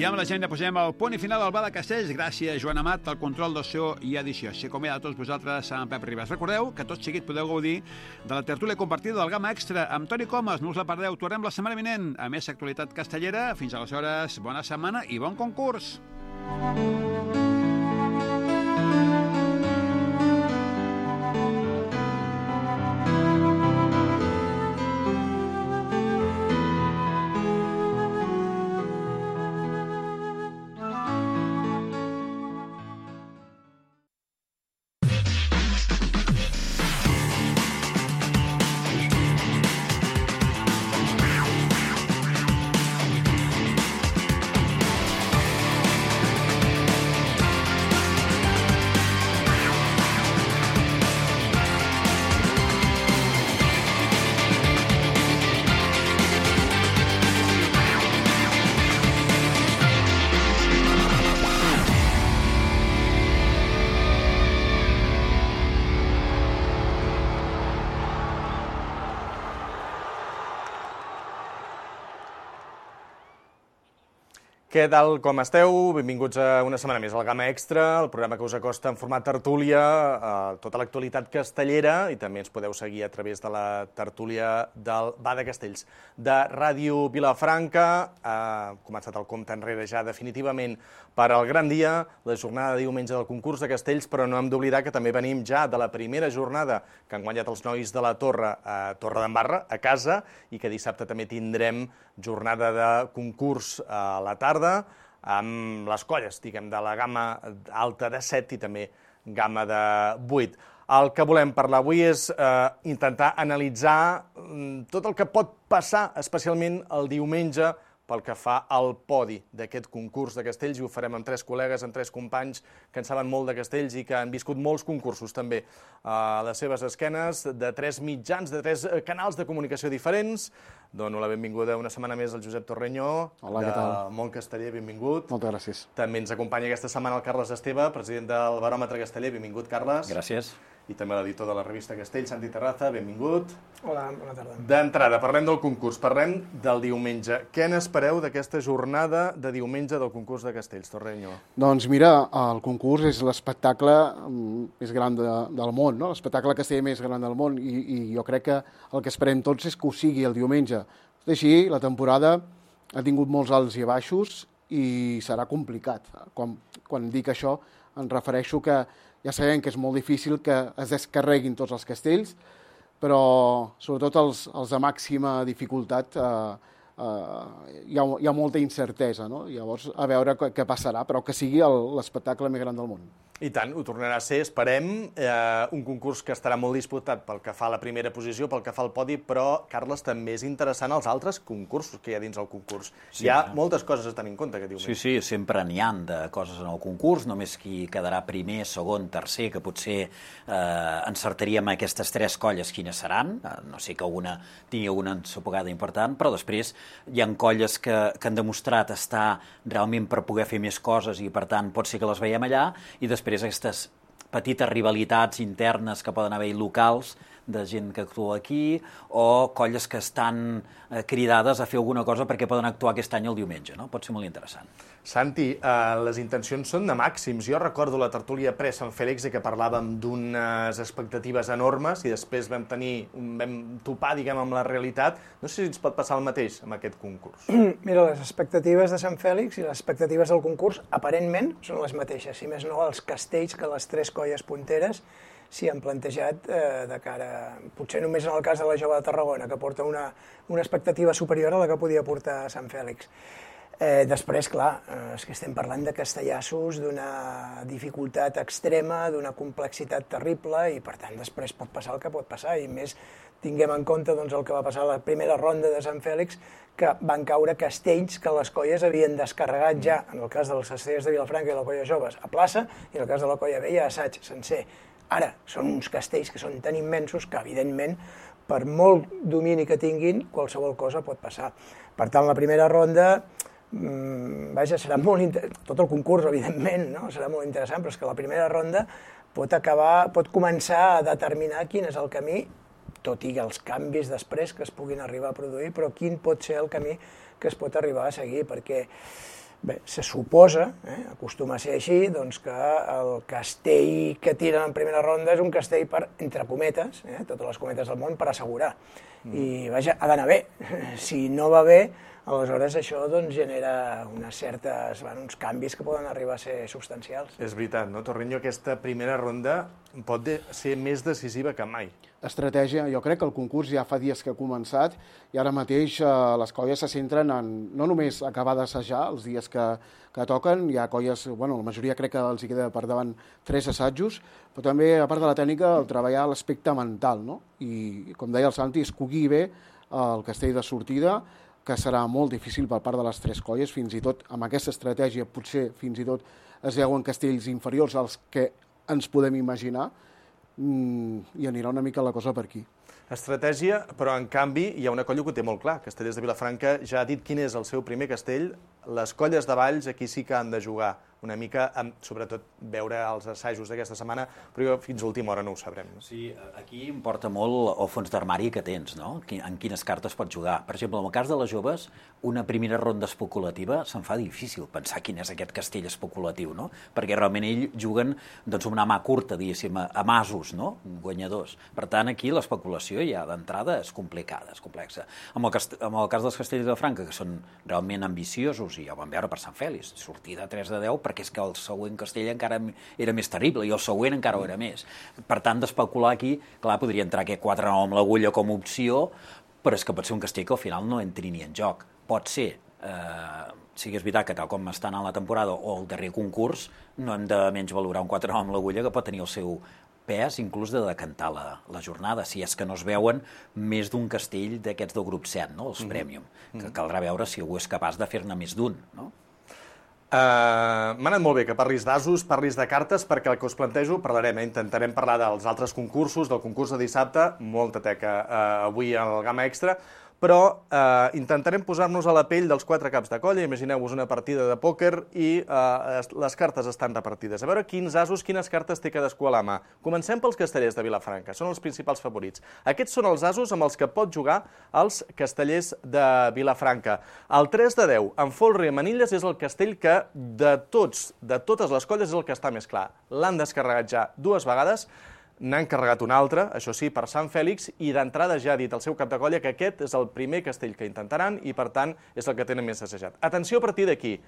Speaker 1: I amb la gent posem el punt i final al Bar de Castells. Gràcies, Joan Amat, al control del so i edició. Així com a tots vosaltres, amb Pep Ribas. Recordeu que tot seguit podeu gaudir de la tertúlia compartida del Gamma Extra amb Toni Comas. No us la perdeu, tornem la setmana vinent a més actualitat castellera. Fins aleshores, bona setmana i bon concurs.
Speaker 9: Què tal, com esteu? Benvinguts a una setmana més al Gamma Extra, el programa que us acosta en format tertúlia tota l'actualitat castellera, i també ens podeu seguir a través de la tertúlia del Bar de Castells de Ràdio Vilafranca. Ha començat el compte enrere ja definitivament per al gran dia, la jornada de diumenge del concurs de castells, però no hem d'oblidar que també venim ja de la primera jornada que han guanyat els nois de la Torre a Torredembarra, a casa, i que dissabte també tindrem jornada de concurs a la tarda, amb les colles, diguem, de la gamma alta de 7 i també gamma de 8. El que volem parlar avui és intentar analitzar tot el que pot passar, especialment el diumenge, pel que fa al podi d'aquest concurs de castells, i ho farem amb 3 col·legues, amb 3 companys que en saben molt de castells i que han viscut molts concursos també a les seves esquenes, de 3 mitjans, de 3 canals de comunicació diferents. Dono la benvinguda una setmana més al Josep Torreño.
Speaker 10: Hola, què tal?
Speaker 9: De Mont Casteller, benvingut.
Speaker 10: Moltes gràcies.
Speaker 9: També ens acompanya aquesta setmana el Carles Esteve, president del Baròmetre Casteller. Benvingut, Carles.
Speaker 11: Gràcies.
Speaker 9: I també l'editor de la revista Castell, Santi Terraza, benvingut.
Speaker 12: Hola, bona tarda.
Speaker 9: D'entrada, parlem del concurs, parlem del diumenge. Què n'espereu d'aquesta jornada de diumenge del concurs de castells, Torreño?
Speaker 10: Doncs mira, el concurs és l'espectacle més gran del món, no? L'espectacle casteller més gran del món, i jo crec que el que esperem tots és que ho sigui el diumenge. Tot així, la temporada ha tingut molts alts i baixos i serà complicat. Quan dic això, em refereixo que ja sabem que és molt difícil que es descarreguin tots els castells, però sobretot els de màxima dificultat hi ha molta incertesa, no? Llavors, a veure què passarà, però que sigui l'espectacle més gran del món.
Speaker 9: I tant, ho tornarà a ser, esperem, un concurs que estarà molt disputat pel que fa a la primera posició, pel que fa al podi, però, Carles, també és interessant els altres concursos que hi ha dins el concurs. Sí, hi ha moltes coses a tenir en compte aquest diumenge.
Speaker 11: Sí, sempre n'hi ha de coses en el concurs, només qui quedarà primer, segon, tercer, que potser encertaríem aquestes 3 colles quines seran, no sé que alguna tingui alguna ensopegada important, però després hi ha colles que han demostrat estar realment per poder fer més coses i, per tant, pot ser que les veiem allà, i després aquestes petites rivalitats internes que poden haver locals de gent que actua aquí, o colles que estan cridades a fer alguna cosa perquè poden actuar aquest any el diumenge, no? Pot ser molt interessant.
Speaker 9: Santi, les intencions són de màxims. Jo recordo la tertúlia pre-Sant Fèlix que parlàvem d'unes expectatives enormes i després vam topar, diguem, amb la realitat. No sé si ens pot passar el mateix amb aquest concurs.
Speaker 12: Mira, les expectatives de Sant Fèlix i les expectatives del concurs aparentment són les mateixes, si més no els castells que les 3 colles punteres s'hi han plantejat de cara, potser només en el cas de la Jove de Tarragona, que porta una expectativa superior a la que podia portar Sant Fèlix. Després, clar, és que estem parlant de castellassos d'una dificultat extrema, d'una complexitat terrible, i per tant després pot passar el que pot passar, i més tinguem en compte el que va passar a la primera ronda de Sant Fèlix, que van caure castells que les colles havien descarregat ja, en el cas dels castellers de Vilafranca i la colla joves, a plaça, i en el cas de la colla vella, a assaig sencer. Ara, són uns castells que són tan immensos que, evidentment, per molt domini que tinguin, qualsevol cosa pot passar. Per tant, la primera ronda, serà molt interessant, tot el concurs, evidentment, serà molt interessant, però és que la primera ronda pot començar a determinar quin és el camí, tot i els canvis després que es puguin arribar a produir, però quin pot ser el camí que es pot arribar a seguir, perquè Bé, se suposa, acostuma a ser així, doncs que el castell que tiren en primera ronda és un castell per, entre cometes, totes les cometes del món, per assegurar. I, vaja, ha d'anar bé. Si no va bé, aleshores això doncs, genera uns canvis que poden arribar a ser substancials.
Speaker 9: És veritat, no, Torreño? Aquesta primera ronda pot ser més decisiva que mai.
Speaker 10: Estratègia, jo crec que el concurs ja fa dies que ha començat i ara mateix les colles se centren en no només acabar d'assajar els dies que toquen, hi ha colles, bueno, la majoria crec que els hi queda per davant 3 assajos, però també, a part de la tècnica, el treballar l'aspecte mental, no? I, com deia el Santi, escollir bé el castell de sortida, que serà molt difícil per part de les 3 colles, fins i tot amb aquesta estratègia potser fins i tot es veuen castells inferiors als que ens podem imaginar, i anirà una mica la cosa per aquí.
Speaker 9: Estratègia, però en canvi hi ha una colla que ho té molt clar. Castellers de Vilafranca ja ha dit quin és el seu primer castell. Les colles de Valls aquí sí que han de jugar una mica, sobretot veure els assajos d'aquesta setmana, però fins a última hora no ho sabrem.
Speaker 11: Sí, aquí importa molt el fons d'armari que tens, no? En quines cartes pots jugar. Per exemple, en el cas de les joves, una primera ronda especulativa se'n fa difícil pensar quin és aquest castell especulatiu, no? Perquè realment ells juguen doncs, una mà curta, diguéssim, a masos, no? Guanyadors. Per tant, aquí l'especulació ja d'entrada és complicada, és complexa. En el cas dels castells de Franca, que són realment ambiciosos, i ja ho vam veure per Sant Fèlix, sortida 3 de 10, perquè és que el següent castell encara era més terrible i el següent encara ho era més. Per tant, d'especular aquí, clar, podria entrar aquest 4-9 amb l'agulla com a opció, però és que pot ser un castell que al final no entri ni en joc. Pot ser, sí que és veritat que tal com està anant la temporada o el darrer concurs, no hem de menys valorar un 4-9 amb l'agulla que pot tenir el seu pes, inclús de decantar la jornada, si és que no es veuen més d'un castell d'aquests del grup 7, no? Els Premium, que caldrà veure si algú és capaç de fer-ne més d'un, no?
Speaker 9: M'ha anat molt bé que parlis d'asos, parlis de cartes, perquè el que us plantejo parlarem, intentarem parlar dels altres concursos, del concurs de dissabte, molta teca avui al Gamma Extra, però intentarem posar-nos a la pell dels 4 caps de colla. Imagineu-vos una partida de pòquer i les cartes estan repartides. A veure quins asos, quines cartes té cadascú a la mà. Comencem pels castellers de Vilafranca, són els principals favorits. Aquests són els asos amb els que pot jugar els castellers de Vilafranca. El 3 de 10, en folre i manilles, és el castell que de totes les colles és el que està més clar. L'han descarregat ja 2 vegades, n'han carregat un altre, això sí, per Sant Fèlix, i d'entrada ja ha dit el seu cap de colla que aquest és el primer castell que intentaran i, per tant, és el que tenen més assajat. Atenció a partir d'aquí.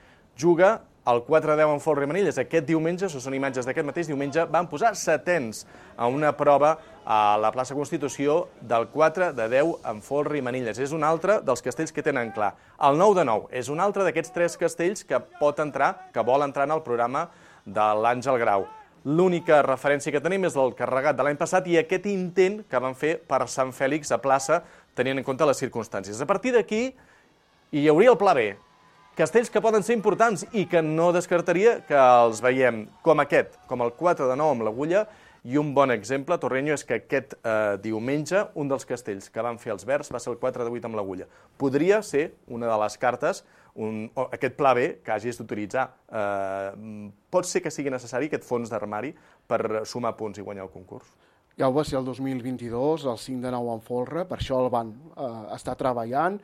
Speaker 9: Juga el 4-10 en folre i manilles. Aquest diumenge, això són imatges d'aquest mateix diumenge, van posar setens a una prova a la plaça Constitució del 4 de 10 en folre i manilles. És un altre dels castells que tenen clar. El 9 de 9 és un altre d'aquests 3 castells que pot entrar, que vol entrar en el programa de l'Àngel Grau. L'única referència que tenim és el carregat de l'any passat i aquest intent que van fer per Sant Fèlix a plaça, tenint en compte les circumstàncies. A partir d'aquí hi hauria el pla B. Castells que poden ser importants i que no descartaria que els veiem com aquest, com el 4 de 9 amb l'agulla, i un bon exemple, Torreño, és que aquest diumenge un dels castells que van fer els verds va ser el 4 de 8 amb l'agulla. Podria ser una de les cartes, aquest pla B que hagis d'utilitzar. Pot ser que sigui necessari aquest fons d'armari per sumar punts i guanyar el concurs?
Speaker 10: Ja ho va ser el 2022, el 5 de 9 en folre, per això el van estar treballant,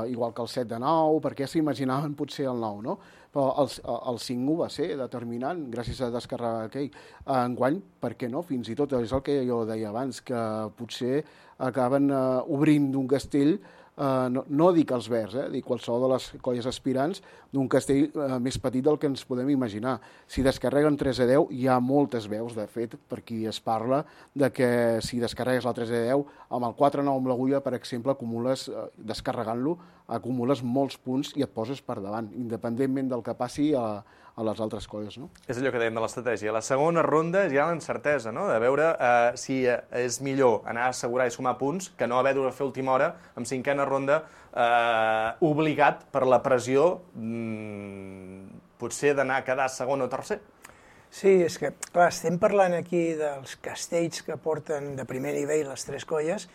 Speaker 10: igual que el 7 de 9, perquè s'imaginaven potser el 9, no? Però el 5 va ser determinant, gràcies a descarregar aquell. Enguany, per què no? Fins i tot és el que jo deia abans, que potser acaben obrint d'un castell, no dic els verds, dic qualsevol de les colles aspirants, d'un castell més petit del que ens podem imaginar. Si descarreguen 3 de 10, hi ha moltes veus, de fet, per qui es parla, de que si descarregues el 3 de 10, amb el 4-9 amb l'agulla, per exemple, descarregant-lo, acumules molts punts i et poses per davant, independentment del que passi a les altres colles, no?
Speaker 9: És allò que dèiem de l'estratègia. La segona ronda és ja l'encertesa, no? De veure si és millor anar a assegurar i sumar punts que no haver de fer última hora amb 5a ronda obligat per la pressió potser d'anar a quedar segon o tercer.
Speaker 12: Sí, és que, clar, estem parlant aquí dels castells que porten de primer nivell les 3 colles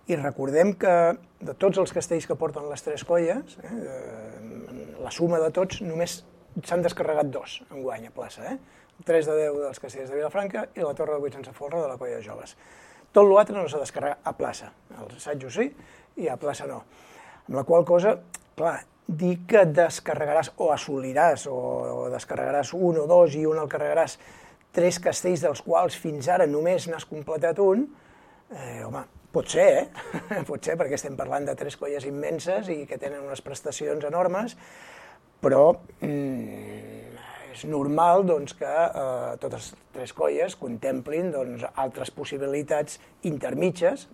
Speaker 12: i recordem que de tots els castells que porten les 3 colles, la suma de tots, només s'han descarregat 2 enguany a plaça. El 3 de 10 dels castells de Vilafranca i la Torre de 8 sense folre de la colla de joves. Tot l'altre no s'ha descarregat a plaça. Els assajos sí i a plaça no. Amb la qual cosa, clar, dir que descarregaràs o assoliràs o descarregaràs un o dos i un el carregaràs 3 castells dels quals fins ara només n'has completat un, home, pot ser, pot ser, perquè estem parlant de 3 colles immenses i que tenen unes prestacions enormes, però és normal que totes 3 colles contemplin altres possibilitats intermitges,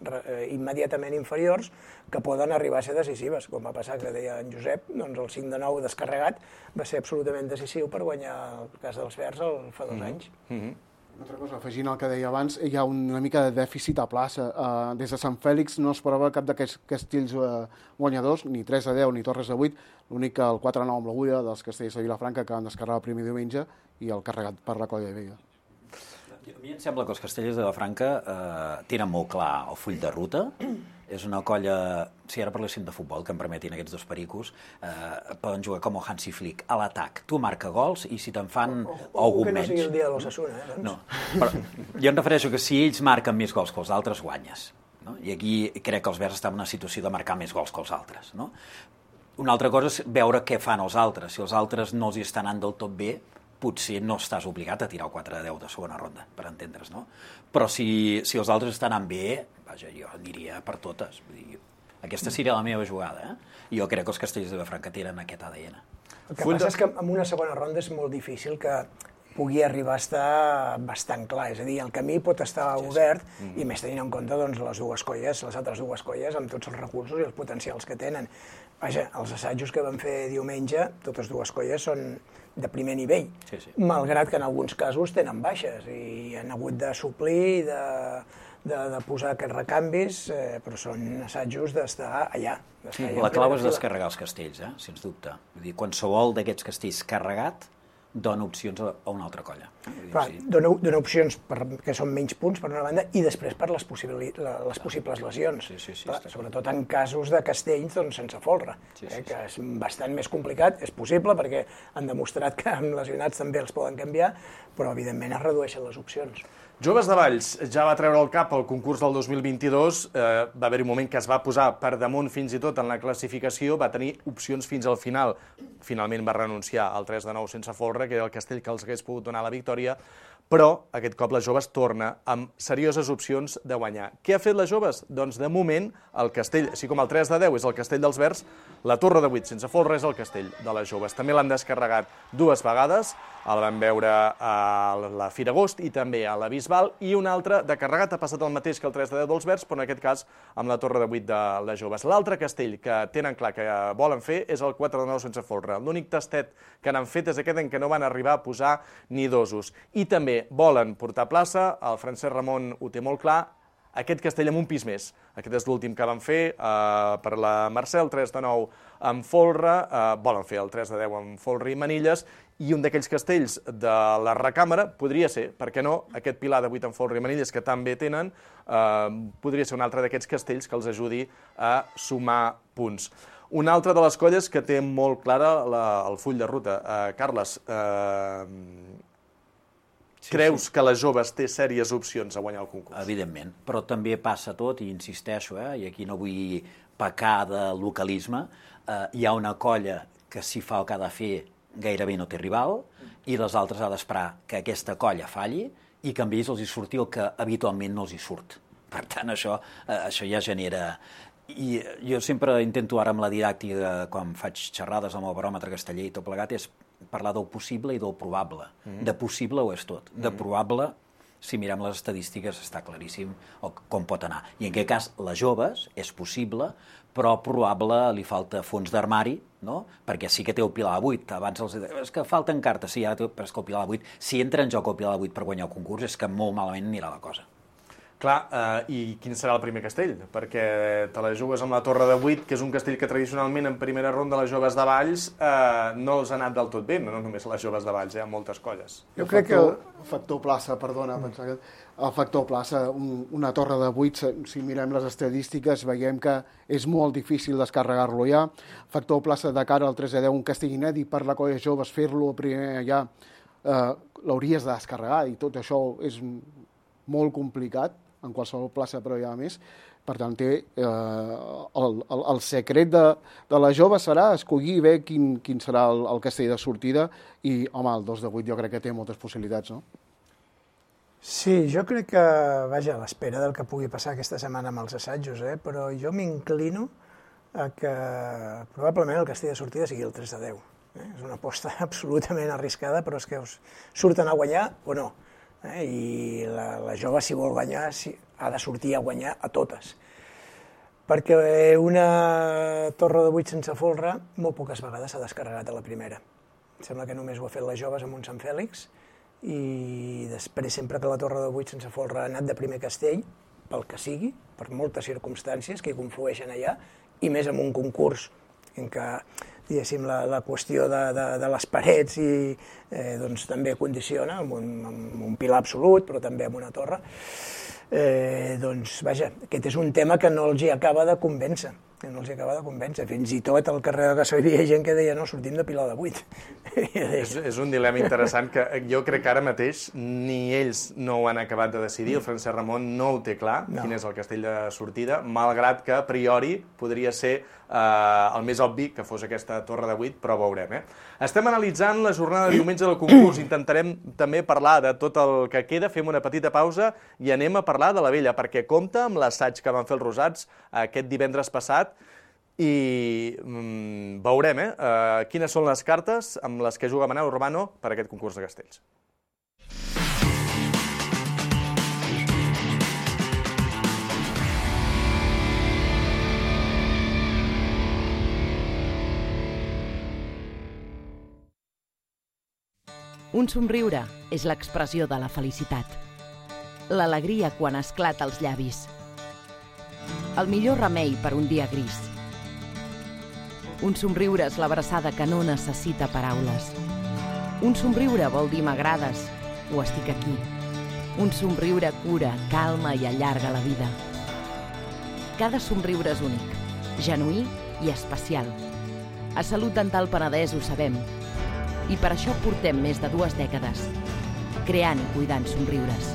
Speaker 12: immediatament inferiors, que poden arribar a ser decisives, com va passar, que deia en Josep, el 5 de 9 descarregat va ser absolutament decisiu per guanyar el cas dels Verds fa 2 anys.
Speaker 10: Una altra cosa, afegint el que deia abans, hi ha una mica de dèficit a plaça. Des de Sant Fèlix no esperava cap d'aquests castells guanyadors, ni 3-10 ni Torres de 8, l'únic que el 4-9 amb l'Agulla dels castells de Vilafranca que van descarregar el primer diumenge i el carregat per la Colla de Vega.
Speaker 11: A mi em sembla que els castellers de Vilafranca tenen molt clar el full de ruta. És una colla, si ara parléssim de futbol, que em permetin aquests 2 pericos, poden jugar com el Hansi Flick, a l'atac. Tu marca gols i si te'n fan algun menys...
Speaker 12: Que no sigui el dia de l'Osasuna, doncs.
Speaker 11: No, però jo em refereixo que si ells marquen més gols que els altres, guanyes. I aquí crec que els Verds estan en una situació de marcar més gols que els altres. Una altra cosa és veure què fan els altres. Si els altres no els hi estan anant del tot bé, potser no estàs obligat a tirar el 4-10 de segona ronda, per entendre's, no? Però si els altres estan anant bé, vaja, jo aniria per totes. Vull dir, aquesta seria la meva jugada, I jo crec que els castellers de Vilafranca tenen aquest ADN.
Speaker 12: El que passa és que en una segona ronda és molt difícil que pugui arribar a estar bastant clar. És a dir, el camí pot estar obert i més tenint en compte les altres dues colles, amb tots els recursos i els potencials que tenen. Vaja, els assajos que van fer diumenge, totes dues colles són de primer nivell, malgrat que en alguns casos tenen baixes i han hagut de suplir, de posar aquests recanvis, però són assajos d'estar allà.
Speaker 11: La clau és descarregar els castells, sens dubte. Vull dir, qualsevol d'aquests castells carregat dona opcions a una altra colla.
Speaker 12: Dona opcions que són menys punts, per una banda, i després per les possibles lesions. Sobretot en casos de castells sense folre, que és bastant més complicat. És possible, perquè han demostrat que amb lesionats també els poden canviar, però evidentment es redueixen les opcions.
Speaker 9: Joves de Valls ja va treure el cap al concurs del 2022, va haver-hi un moment que es va posar per damunt fins i tot en la classificació, va tenir opcions fins al final. Finalment va renunciar al 3 de 9 sense folre, que era el castell que els hagués pogut donar la victòria, però aquest cop les Joves torna amb serioses opcions de guanyar. Què ha fet les Joves? Doncs de moment el castell, així com el 3 de 10 és el castell dels Verds, la Torre de 8 sense folre és el castell de les Joves. També l'han descarregat 2 vegades, el vam veure a la Fira Agost i també a la Bisbal, i un altre de carregat ha passat el mateix que el 3 de 10 dels Verds, però en aquest cas amb la Torre de 8 de les Joves. L'altre castell que tenen clar que volen fer és el 4 de 9 sense folre. L'únic tastet que n'han fet és aquest en què no van arribar a posar ni dosos. I també volen portar plaça, el Francesc Ramon ho té molt clar, aquest castell amb un pis més. Aquest és l'últim que van fer per la Mercè, el 3 de 9 amb folre, volen fer el 3 de 10 amb folre i manilles, i un d'aquells castells de la recàmera podria ser, per què no, aquest pilar de 8 amb folre i manilles que també tenen, podria ser un altre d'aquests castells que els ajudi a sumar punts. Una altra de les colles que té molt clara el full de ruta. Carles, creus que les Joves té sèries opcions a guanyar el concurs?
Speaker 11: Evidentment, però també passa tot, i insisteixo, i aquí no vull pecar de localisme, hi ha una colla que si fa el que ha de fer gairebé no té rival, i les altres ha d'esperar que aquesta colla falli i que amb ells els hi surti el que habitualment no els hi surt. Per tant, això ja genera... I jo sempre intento ara amb la didàctica, quan faig xerrades amb el baròmetre casteller i tot plegat, és parlar del possible i del probable. De possible ho és tot. De probable, si mirem les estadístiques, està claríssim com pot anar. I en aquest cas, les Joves, és possible, però probable li falta fons d'armari, no? Perquè sí que té el pilar de 8. Abans els deia, és que falten cartes, sí, però és que el pilar de 8, si entra en joc el pilar de 8 per guanyar el concurs, és que molt malament anirà la cosa.
Speaker 9: Clar, i quin serà el primer castell? Perquè te la jugues amb la Torre de 8, que és un castell que tradicionalment en primera ronda les Joves de Valls no els ha anat del tot bé, no només les Joves de Valls, hi ha moltes colles.
Speaker 10: Jo crec que el factor plaça, perdona, el factor plaça, una Torre de 8, si mirem les estadístiques, veiem que és molt difícil descarregar-lo ja. Factor plaça de cara al 3 de 10, un castell inèdit per la colla Joves, fer-lo primer allà, l'hauries de descarregar, i tot això és molt complicat, en qualsevol plaça, però hi ha més. Per tant, el secret de la jove serà escollir bé quin serà el castell de sortida i, home, el 2 de 8 jo crec que té moltes possibilitats, no?
Speaker 12: Sí, jo crec que, vaja, a l'espera del que pugui passar aquesta setmana amb els assajos, però jo m'inclino a que probablement el castell de sortida sigui el 3 de 10. És una aposta absolutament arriscada, però és que us surten a guanyar o no. I la jove, si vol guanyar, ha de sortir a guanyar a totes. Perquè una torre de 8 sense folre molt poques vegades s'ha descarregat a la primera. Em sembla que només ho ha fet les joves amb un Sant Fèlix, i després sempre que la torre de 8 sense folre ha anat de primer castell, pel que sigui, per moltes circumstàncies que hi conflueixen allà, i més en un concurs en què, diguéssim, la qüestió de les parets doncs també condiciona, amb un pilar absolut, però també amb una torre. Doncs, vaja, aquest és un tema que no els hi acaba de convèncer. Fins i tot al carrer de Gassó hi havia gent que deia no, sortim de Pilar de 8.
Speaker 9: És un dilema interessant que jo crec que ara mateix ni ells no ho han acabat de decidir, el Francesc Ramon no ho té clar, quin és el castell de sortida, malgrat que a priori podria ser el més obvi que fos aquesta torre de 8, però veurem. Estem analitzant la jornada de diumenge del concurs, intentarem també parlar de tot el que queda, fem una petita pausa i anem a parlar de la Vella, perquè compta amb l'assaig que van fer els Rosats aquest divendres passat, i veurem quines són les cartes amb les que juga Manel Urbano per aquest concurs de castells.
Speaker 13: Un somriure és l'expressió de la felicitat. L'alegria quan esclata als llavis. El millor remei per un dia gris. Un somriure és l'abraçada que no necessita paraules. Un somriure vol dir m'agrades o estic aquí. Un somriure cura, calma i allarga la vida. Cada somriure és únic, genuí i especial. A Salut Dental Penedès ho sabem. I per això portem més de 2 dècades, creant i cuidant somriures.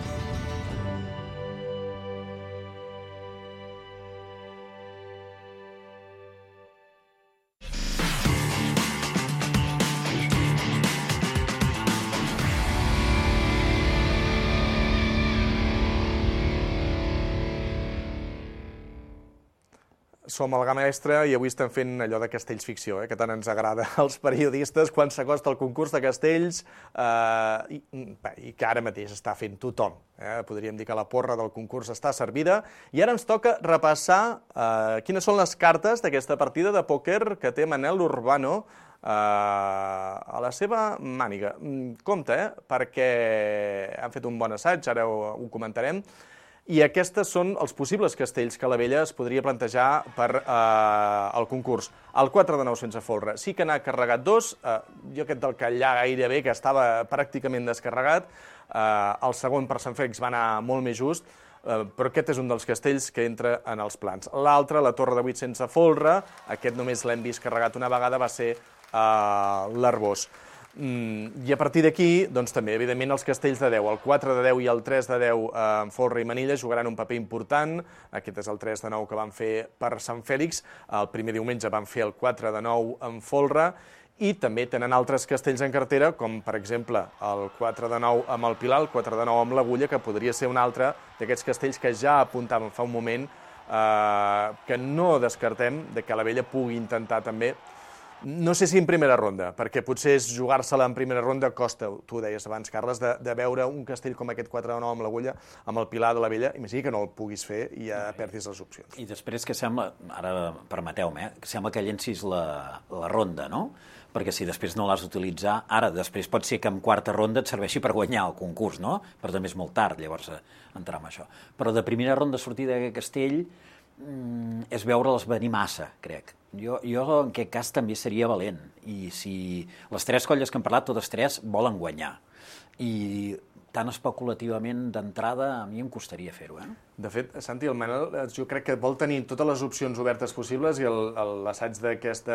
Speaker 9: Som al Gamma Extra i avui estem fent allò de castells ficció, que tant ens agrada als periodistes quan s'acosta el concurs de castells i que ara mateix està fent tothom. Podríem dir que la porra del concurs està servida i ara ens toca repassar quines són les cartes d'aquesta partida de pòquer que té Manel Urbano a la seva màniga. Compte, perquè han fet un bon assaig, ara ho comentarem, i aquests són els possibles castells que la Vella es podria plantejar per al concurs. El 4 de 9 sense folre sí que n'ha carregat 2, jo aquest del Catllà gairebé, que estava pràcticament descarregat, el segon per Sant Fèlix va anar molt més just, però aquest és un dels castells que entra en els plans. L'altre, la torre de 8 sense folre, aquest només l'hem vist carregat una vegada, va ser l'Arbós. I a partir d'aquí, doncs també, evidentment, els castells de 10, el 4 de 10 i el 3 de 10 en folre i manilla jugaran un paper important. Aquest és el 3 de 9 que van fer per Sant Fèlix, el primer diumenge van fer el 4 de 9 en folre, i també tenen altres castells en cartera, com per exemple el 4 de 9 amb el Pilar, el 4 de 9 amb l'Agulla, que podria ser un altre d'aquests castells que ja apuntàvem fa un moment, que no descartem de que la Vella pugui intentar també. No sé si en primera ronda, perquè potser jugar-se-la en primera ronda costa, tu ho deies abans, Carles, de veure un castell com aquest 4 de 9 amb l'Agulla, amb el Pilar de la Vella, imagina que no el puguis fer i ja perdis les opcions.
Speaker 11: I després que sembla, ara permeteu-me, que sembla que llencis la ronda, no? Perquè si després no l'has d'utilitzar, ara després pot ser que en quarta ronda et serveixi per guanyar el concurs, no? Però també és molt tard, llavors, entrar en això. Però de primera ronda sortida d'aquest castell és veure'ls venir massa, crec. Jo en aquest cas també seria valent, i si les 3 colles que hem parlat, totes 3 volen guanyar, i tan especulativament d'entrada a mi em costaria fer-ho.
Speaker 9: De fet, Santi, el Manel jo crec que vol tenir totes les opcions obertes possibles i l'assaig d'aquest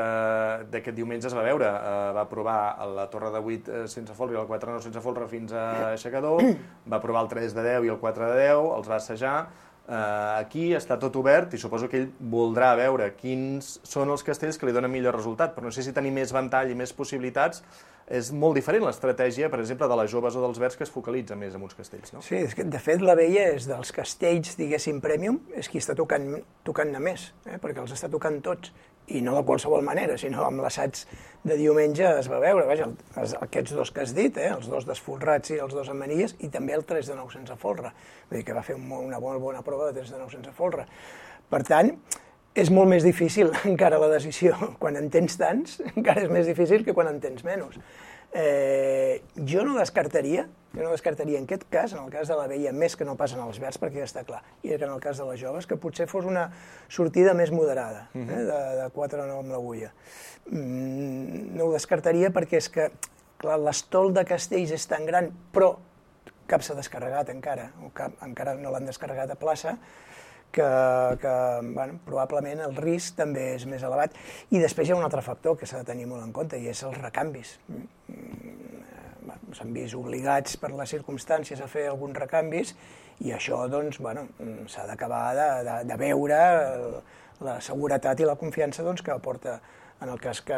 Speaker 9: diumenge es va veure. Va provar la torre de 8 sense folre i el 4 de 9 sense folre fins a aixecador, va provar el 3 de 10 i el 4 de 10, els va assajar, Aquí està tot obert i suposo que ell voldrà veure quins són els castells que li donen millor resultat, però no sé si tenir més ventall i més possibilitats és molt diferent l'estratègia, per exemple, de les joves o dels verds que es focalitza més en uns castells, no?
Speaker 12: Sí, és que, de fet, la Vella és dels castells, diguéssim, premium, és qui està tocant-ne més, perquè els està tocant tots, i no de qualsevol manera, sinó amb l'assaig de diumenge es va veure, vaja, aquests dos que has dit, els dos desfolrats i els dos amb manilles, i també el 3 de 9 sense folre, vull dir que va fer una bona prova de 3 de 9 sense folre. Per tant, és molt més difícil encara la decisió. Quan en tens tants, encara és més difícil que quan en tens menys. Jo no descartaria en aquest cas, en el cas de la Vella, més que no passen els verds, perquè ja està clar, i que en el cas de les joves, que potser fos una sortida més moderada, de 4 a 9 amb l'agulla. No ho descartaria perquè és que, clar, l'estol de castells és tan gran, però cap s'ha descarregat encara, o encara no l'han descarregat a plaça, que probablement el risc també és més elevat. I després hi ha un altre factor que s'ha de tenir molt en compte, i és els recanvis. S'han vist obligats per les circumstàncies a fer alguns recanvis, i això s'ha d'acabar de veure la seguretat i la confiança que aporta en el cas que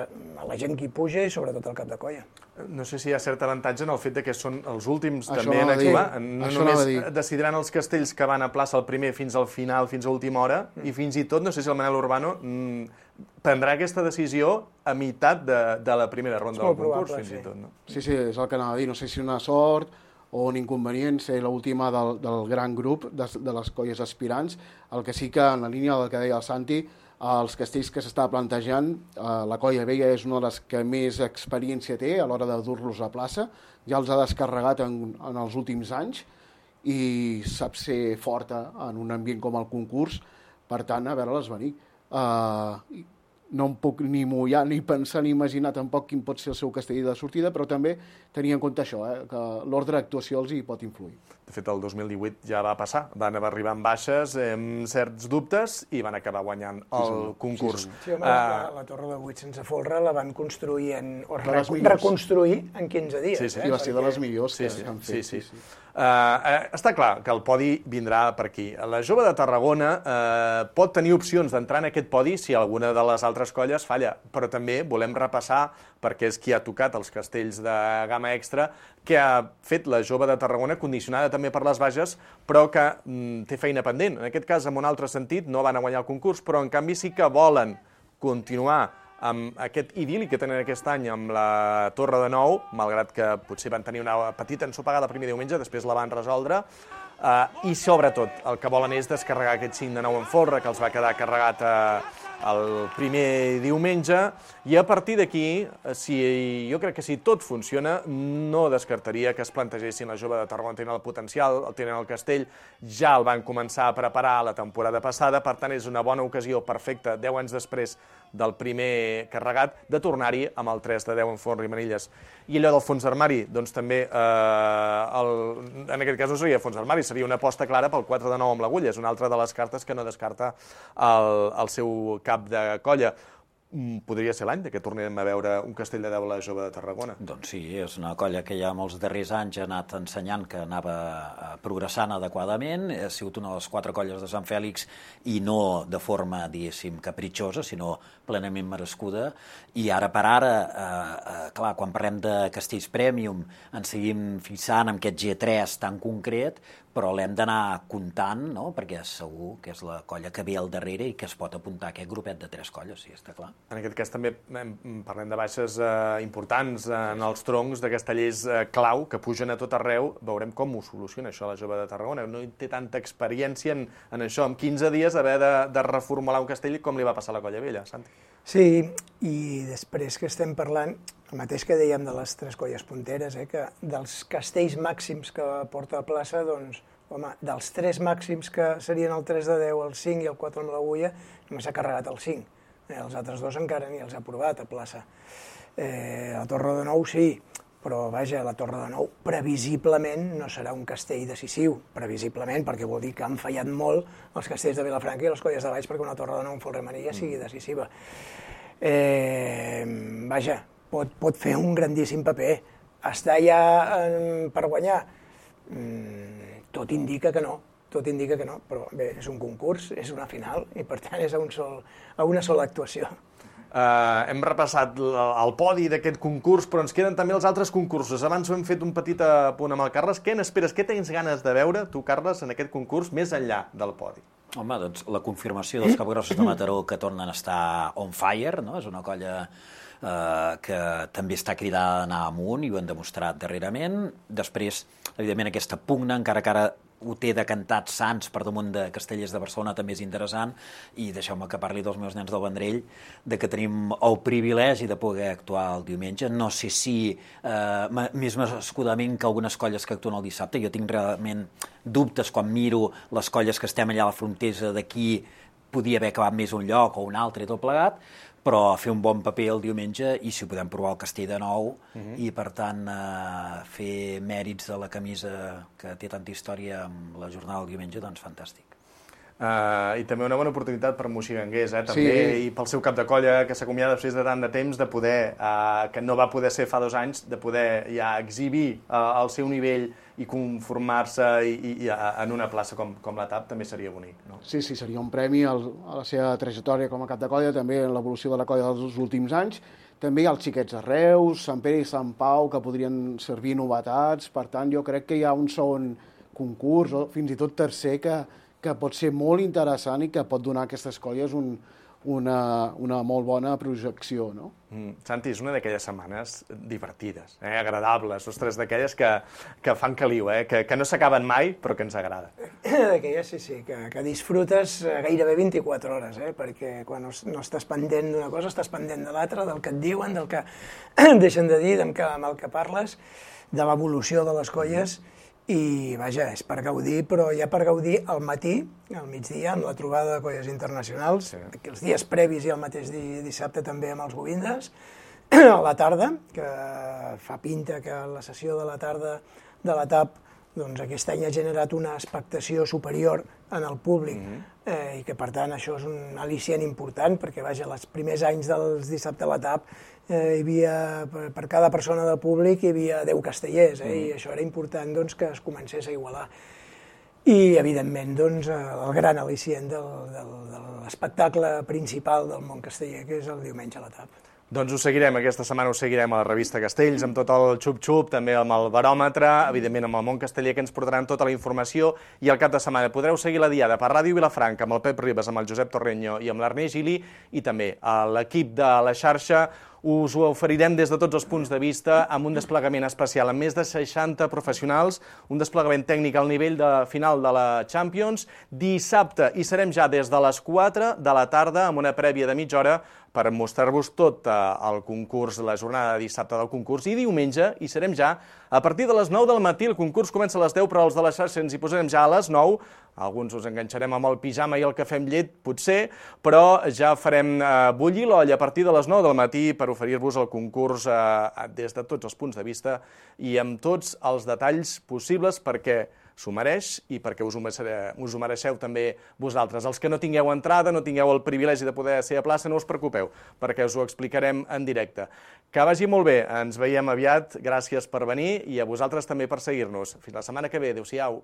Speaker 12: la gent que hi puja i sobretot el cap de colla.
Speaker 9: No sé si hi ha cert avantatge en el fet que són els últims també en actuar. No només decidiran els castells que van a plaça el primer fins al final, fins a última hora, i fins i tot, no sé si el Manel Urbano prendrà aquesta decisió a meitat de la primera ronda del concurs, fins i tot.
Speaker 10: Sí, és el que anava a dir. No sé si una sort o un inconvenient ser l'última del gran grup de les colles aspirants. El que sí que, en la línia del que deia el Santi, els castells que s'està plantejant, la colla Vella és una de les que més experiència té a l'hora de dur-los a plaça, ja els ha descarregat en els últims anys i sap ser forta en un ambient com el concurs, per tant, a veure-les venir. No em puc ni mullar, ni pensar, ni imaginar tampoc quin pot ser el seu castell de sortida, però també tenir en compte això, que l'ordre d'actuació els hi pot influir.
Speaker 9: De fet, el 2018 ja va passar. Van arribar amb baixes, amb certs dubtes, i van acabar guanyant el concurs.
Speaker 12: Sí, home, la Torre de 8 sense folre la van construir reconstruir en 15 dies.
Speaker 10: I va ser de les millors que han fet.
Speaker 9: Sí. Està clar que el podi vindrà per aquí. La Jove de Tarragona pot tenir opcions d'entrar en aquest podi si alguna de les altres colles falla, però també volem repassar, perquè és qui ha tocat els castells de gamma extra, que ha fet la Jove de Tarragona, condicionada també per les baixes, però que té feina pendent. En aquest cas, en un altre sentit, no van a guanyar el concurs, però en canvi sí que volen continuar amb aquest idil·li que tenen aquest any amb la Torre de Nou, malgrat que potser van tenir una petita ensopegada el primer diumenge, després la van resoldre, i sobretot el que volen és descarregar aquest 5 de 9 en folre, que els va quedar carregat el primer diumenge, i a partir d'aquí, jo crec que si tot funciona, no descartaria que es plantegessin la Jove de Tarragona. Tenen el potencial, tenen el castell, ja el van començar a preparar la temporada passada, per tant és una bona ocasió perfecta, 10 anys després del primer carregat, de tornar-hi amb el 3 de 10 en folre i manilles. I allò del fons d'armari, doncs també, en aquest cas no seria fons d'armari, seria una aposta clara pel 4 de 9 amb l'agulla, és una altra de les cartes que no descarta el seu cap de colla. Podria ser l'any que tornem a veure un castell de 10 a la Jove de Tarragona.
Speaker 11: Doncs sí, és una colla que ja molts darrers anys ha anat ensenyant que anava progressant adequadament, ha sigut una de les 4 colles de Sant Fèlix i no de forma, diguéssim, capritxosa, sinó plenament merescuda, i ara per ara, clar, quan parlem de castells premium, ens seguim fixant en aquest G3 tan concret, però l'hem d'anar comptant, perquè segur que és la colla que ve al darrere i que es pot apuntar a aquest grupet de 3 colles, sí, està clar.
Speaker 9: En aquest cas també parlem de baixes importants en els troncs de castellers clau que pugen a tot arreu. Veurem com ho soluciona això la Jove de Tarragona. No té tanta experiència en això. En 15 dies haver de reformular un castell com li va passar a la colla vella, Santi.
Speaker 12: Sí, i després que estem parlant, el mateix que dèiem de les 3 colles punteres, que dels castells màxims que porta a plaça, doncs, home, dels 3 màxims que serien el 3 de 10, el 5 i el 4 amb l'agulla, només s'ha carregat el 5. Els altres 2 encara ni els ha provat a plaça. La Torre de Nou sí, però vaja, la Torre de Nou previsiblement no serà un castell decisiu, previsiblement, perquè vol dir que han fallat molt els castells de Vilafranca i les colles de Valls perquè una Torre de Nou en folre i manilla sigui decisiva. Vaja, pot fer un grandíssim paper. Està ja per guanyar? Tot indica que no, tot indica que no, però bé, és un concurs, és una final, i per tant és a una sola actuació.
Speaker 9: Hem repassat el podi d'aquest concurs, però ens queden també els altres concursos. Abans ho hem fet un petit apunt amb el Carles. Què n'esperes, què tens ganes de veure, tu, Carles, en aquest concurs, més enllà del podi?
Speaker 11: Home, doncs la confirmació dels capgrossos de Mataró que tornen a estar on fire, no? És una colla que també està cridada a anar amunt i ho han demostrat darrerament. Després, evidentment, aquesta pugna, encara que ara ho té decantat Sants per damunt de Castellers de Barcelona, també és interessant, i deixeu-me que parli dels meus nens del Vendrell, de que tenim el privilegi de poder actuar el diumenge. No sé si més escudament que algunes colles que actuen el dissabte. Jo tinc realment dubtes quan miro les colles que estem allà a la frontera d'aquí, podia haver acabat més un lloc o un altre i tot plegat, però fer un bon paper el diumenge i si ho podem provar el castell de nou i, per tant, fer mèrits de la camisa que té tanta història amb la jornada del diumenge, doncs fantàstic.
Speaker 9: I també una bona oportunitat per Moixiganguers, també, i pel seu cap de colla, que s'acomiada després de tant de temps, de poder, que no va poder ser fa 2 anys, de poder ja exhibir el seu nivell i conformar-se en una plaça com la TAP, també seria bonic, no?
Speaker 10: Sí, seria un premi a la seva trajectòria com a cap de colla, també en l'evolució de la colla dels últims anys. També hi ha els xiquets de Reus, Sant Pere i Sant Pau, que podrien servir novetats. Per tant, jo crec que hi ha un segon concurs, o fins i tot tercer, que pot ser molt interessant i que pot donar a aquestes colles una molt bona projecció, no?
Speaker 9: Santi, és una d'aquelles setmanes divertides, agradables, ostres, d'aquelles que fan caliu, que no s'acaben mai, però que ens agrada.
Speaker 12: D'aquelles, sí, que disfrutes gairebé 24 hores, perquè quan no estàs pendent d'una cosa, estàs pendent de l'altra, del que et diuen, del que deixen de dir, amb el que parles, de l'evolució de les colles, i vaja, és per gaudir, però ja per gaudir al matí, al migdia, amb la trobada de colles internacionals, els dies previs i el mateix dissabte també amb els Govindes, a la tarda, que fa pinta que la sessió de la tarda de la TAP doncs aquest any ha generat una expectació superior en el públic i que, per tant, això és un al·licient important, perquè, vaja, els primers anys dels dissabte a la TAP hi havia, per cada persona del públic, hi havia 10 castellers, i això era important que es comencés a igualar. I, evidentment, el gran al·licient de l'espectacle principal del món casteller, que és el diumenge a la TAP.
Speaker 9: Doncs ho seguirem, aquesta setmana ho seguirem a la revista Castells, amb tot el xup-xup, també amb el baròmetre, evidentment amb el món casteller, que ens portaran tota la informació, i al cap de setmana podreu seguir la diada per Ràdio Vilafranca, amb el Pep Ribas, amb el Josep Torreño i amb l'Ernest Gili, i també a l'equip de la xarxa. Us ho oferirem des de tots els punts de vista, amb un desplegament especial, amb més de 60 professionals, un desplegament tècnic al nivell final de la Champions. Dissabte hi serem ja des de les 4 de la tarda, amb una prèvia de mitja hora, per mostrar-vos tot el concurs, la jornada de dissabte del concurs, i diumenge hi serem ja a partir de les 9 del matí. El concurs comença a les 10, però els de la xarxa ens hi posarem ja a les 9. Alguns us enganxarem amb el pijama i el cafè amb llet, potser, però ja farem bullir l'olla a partir de les 9 del matí per oferir-vos el concurs des de tots els punts de vista i amb tots els detalls possibles, perquè s'ho mereix i perquè us ho mereixeu també vosaltres. Els que no tingueu entrada, no tingueu el privilegi de poder ser a plaça, no us preocupeu, perquè us ho explicarem en directe. Que vagi molt bé, ens veiem aviat, gràcies per venir i a vosaltres també per seguir-nos. Fins la setmana que ve, adéu-siau.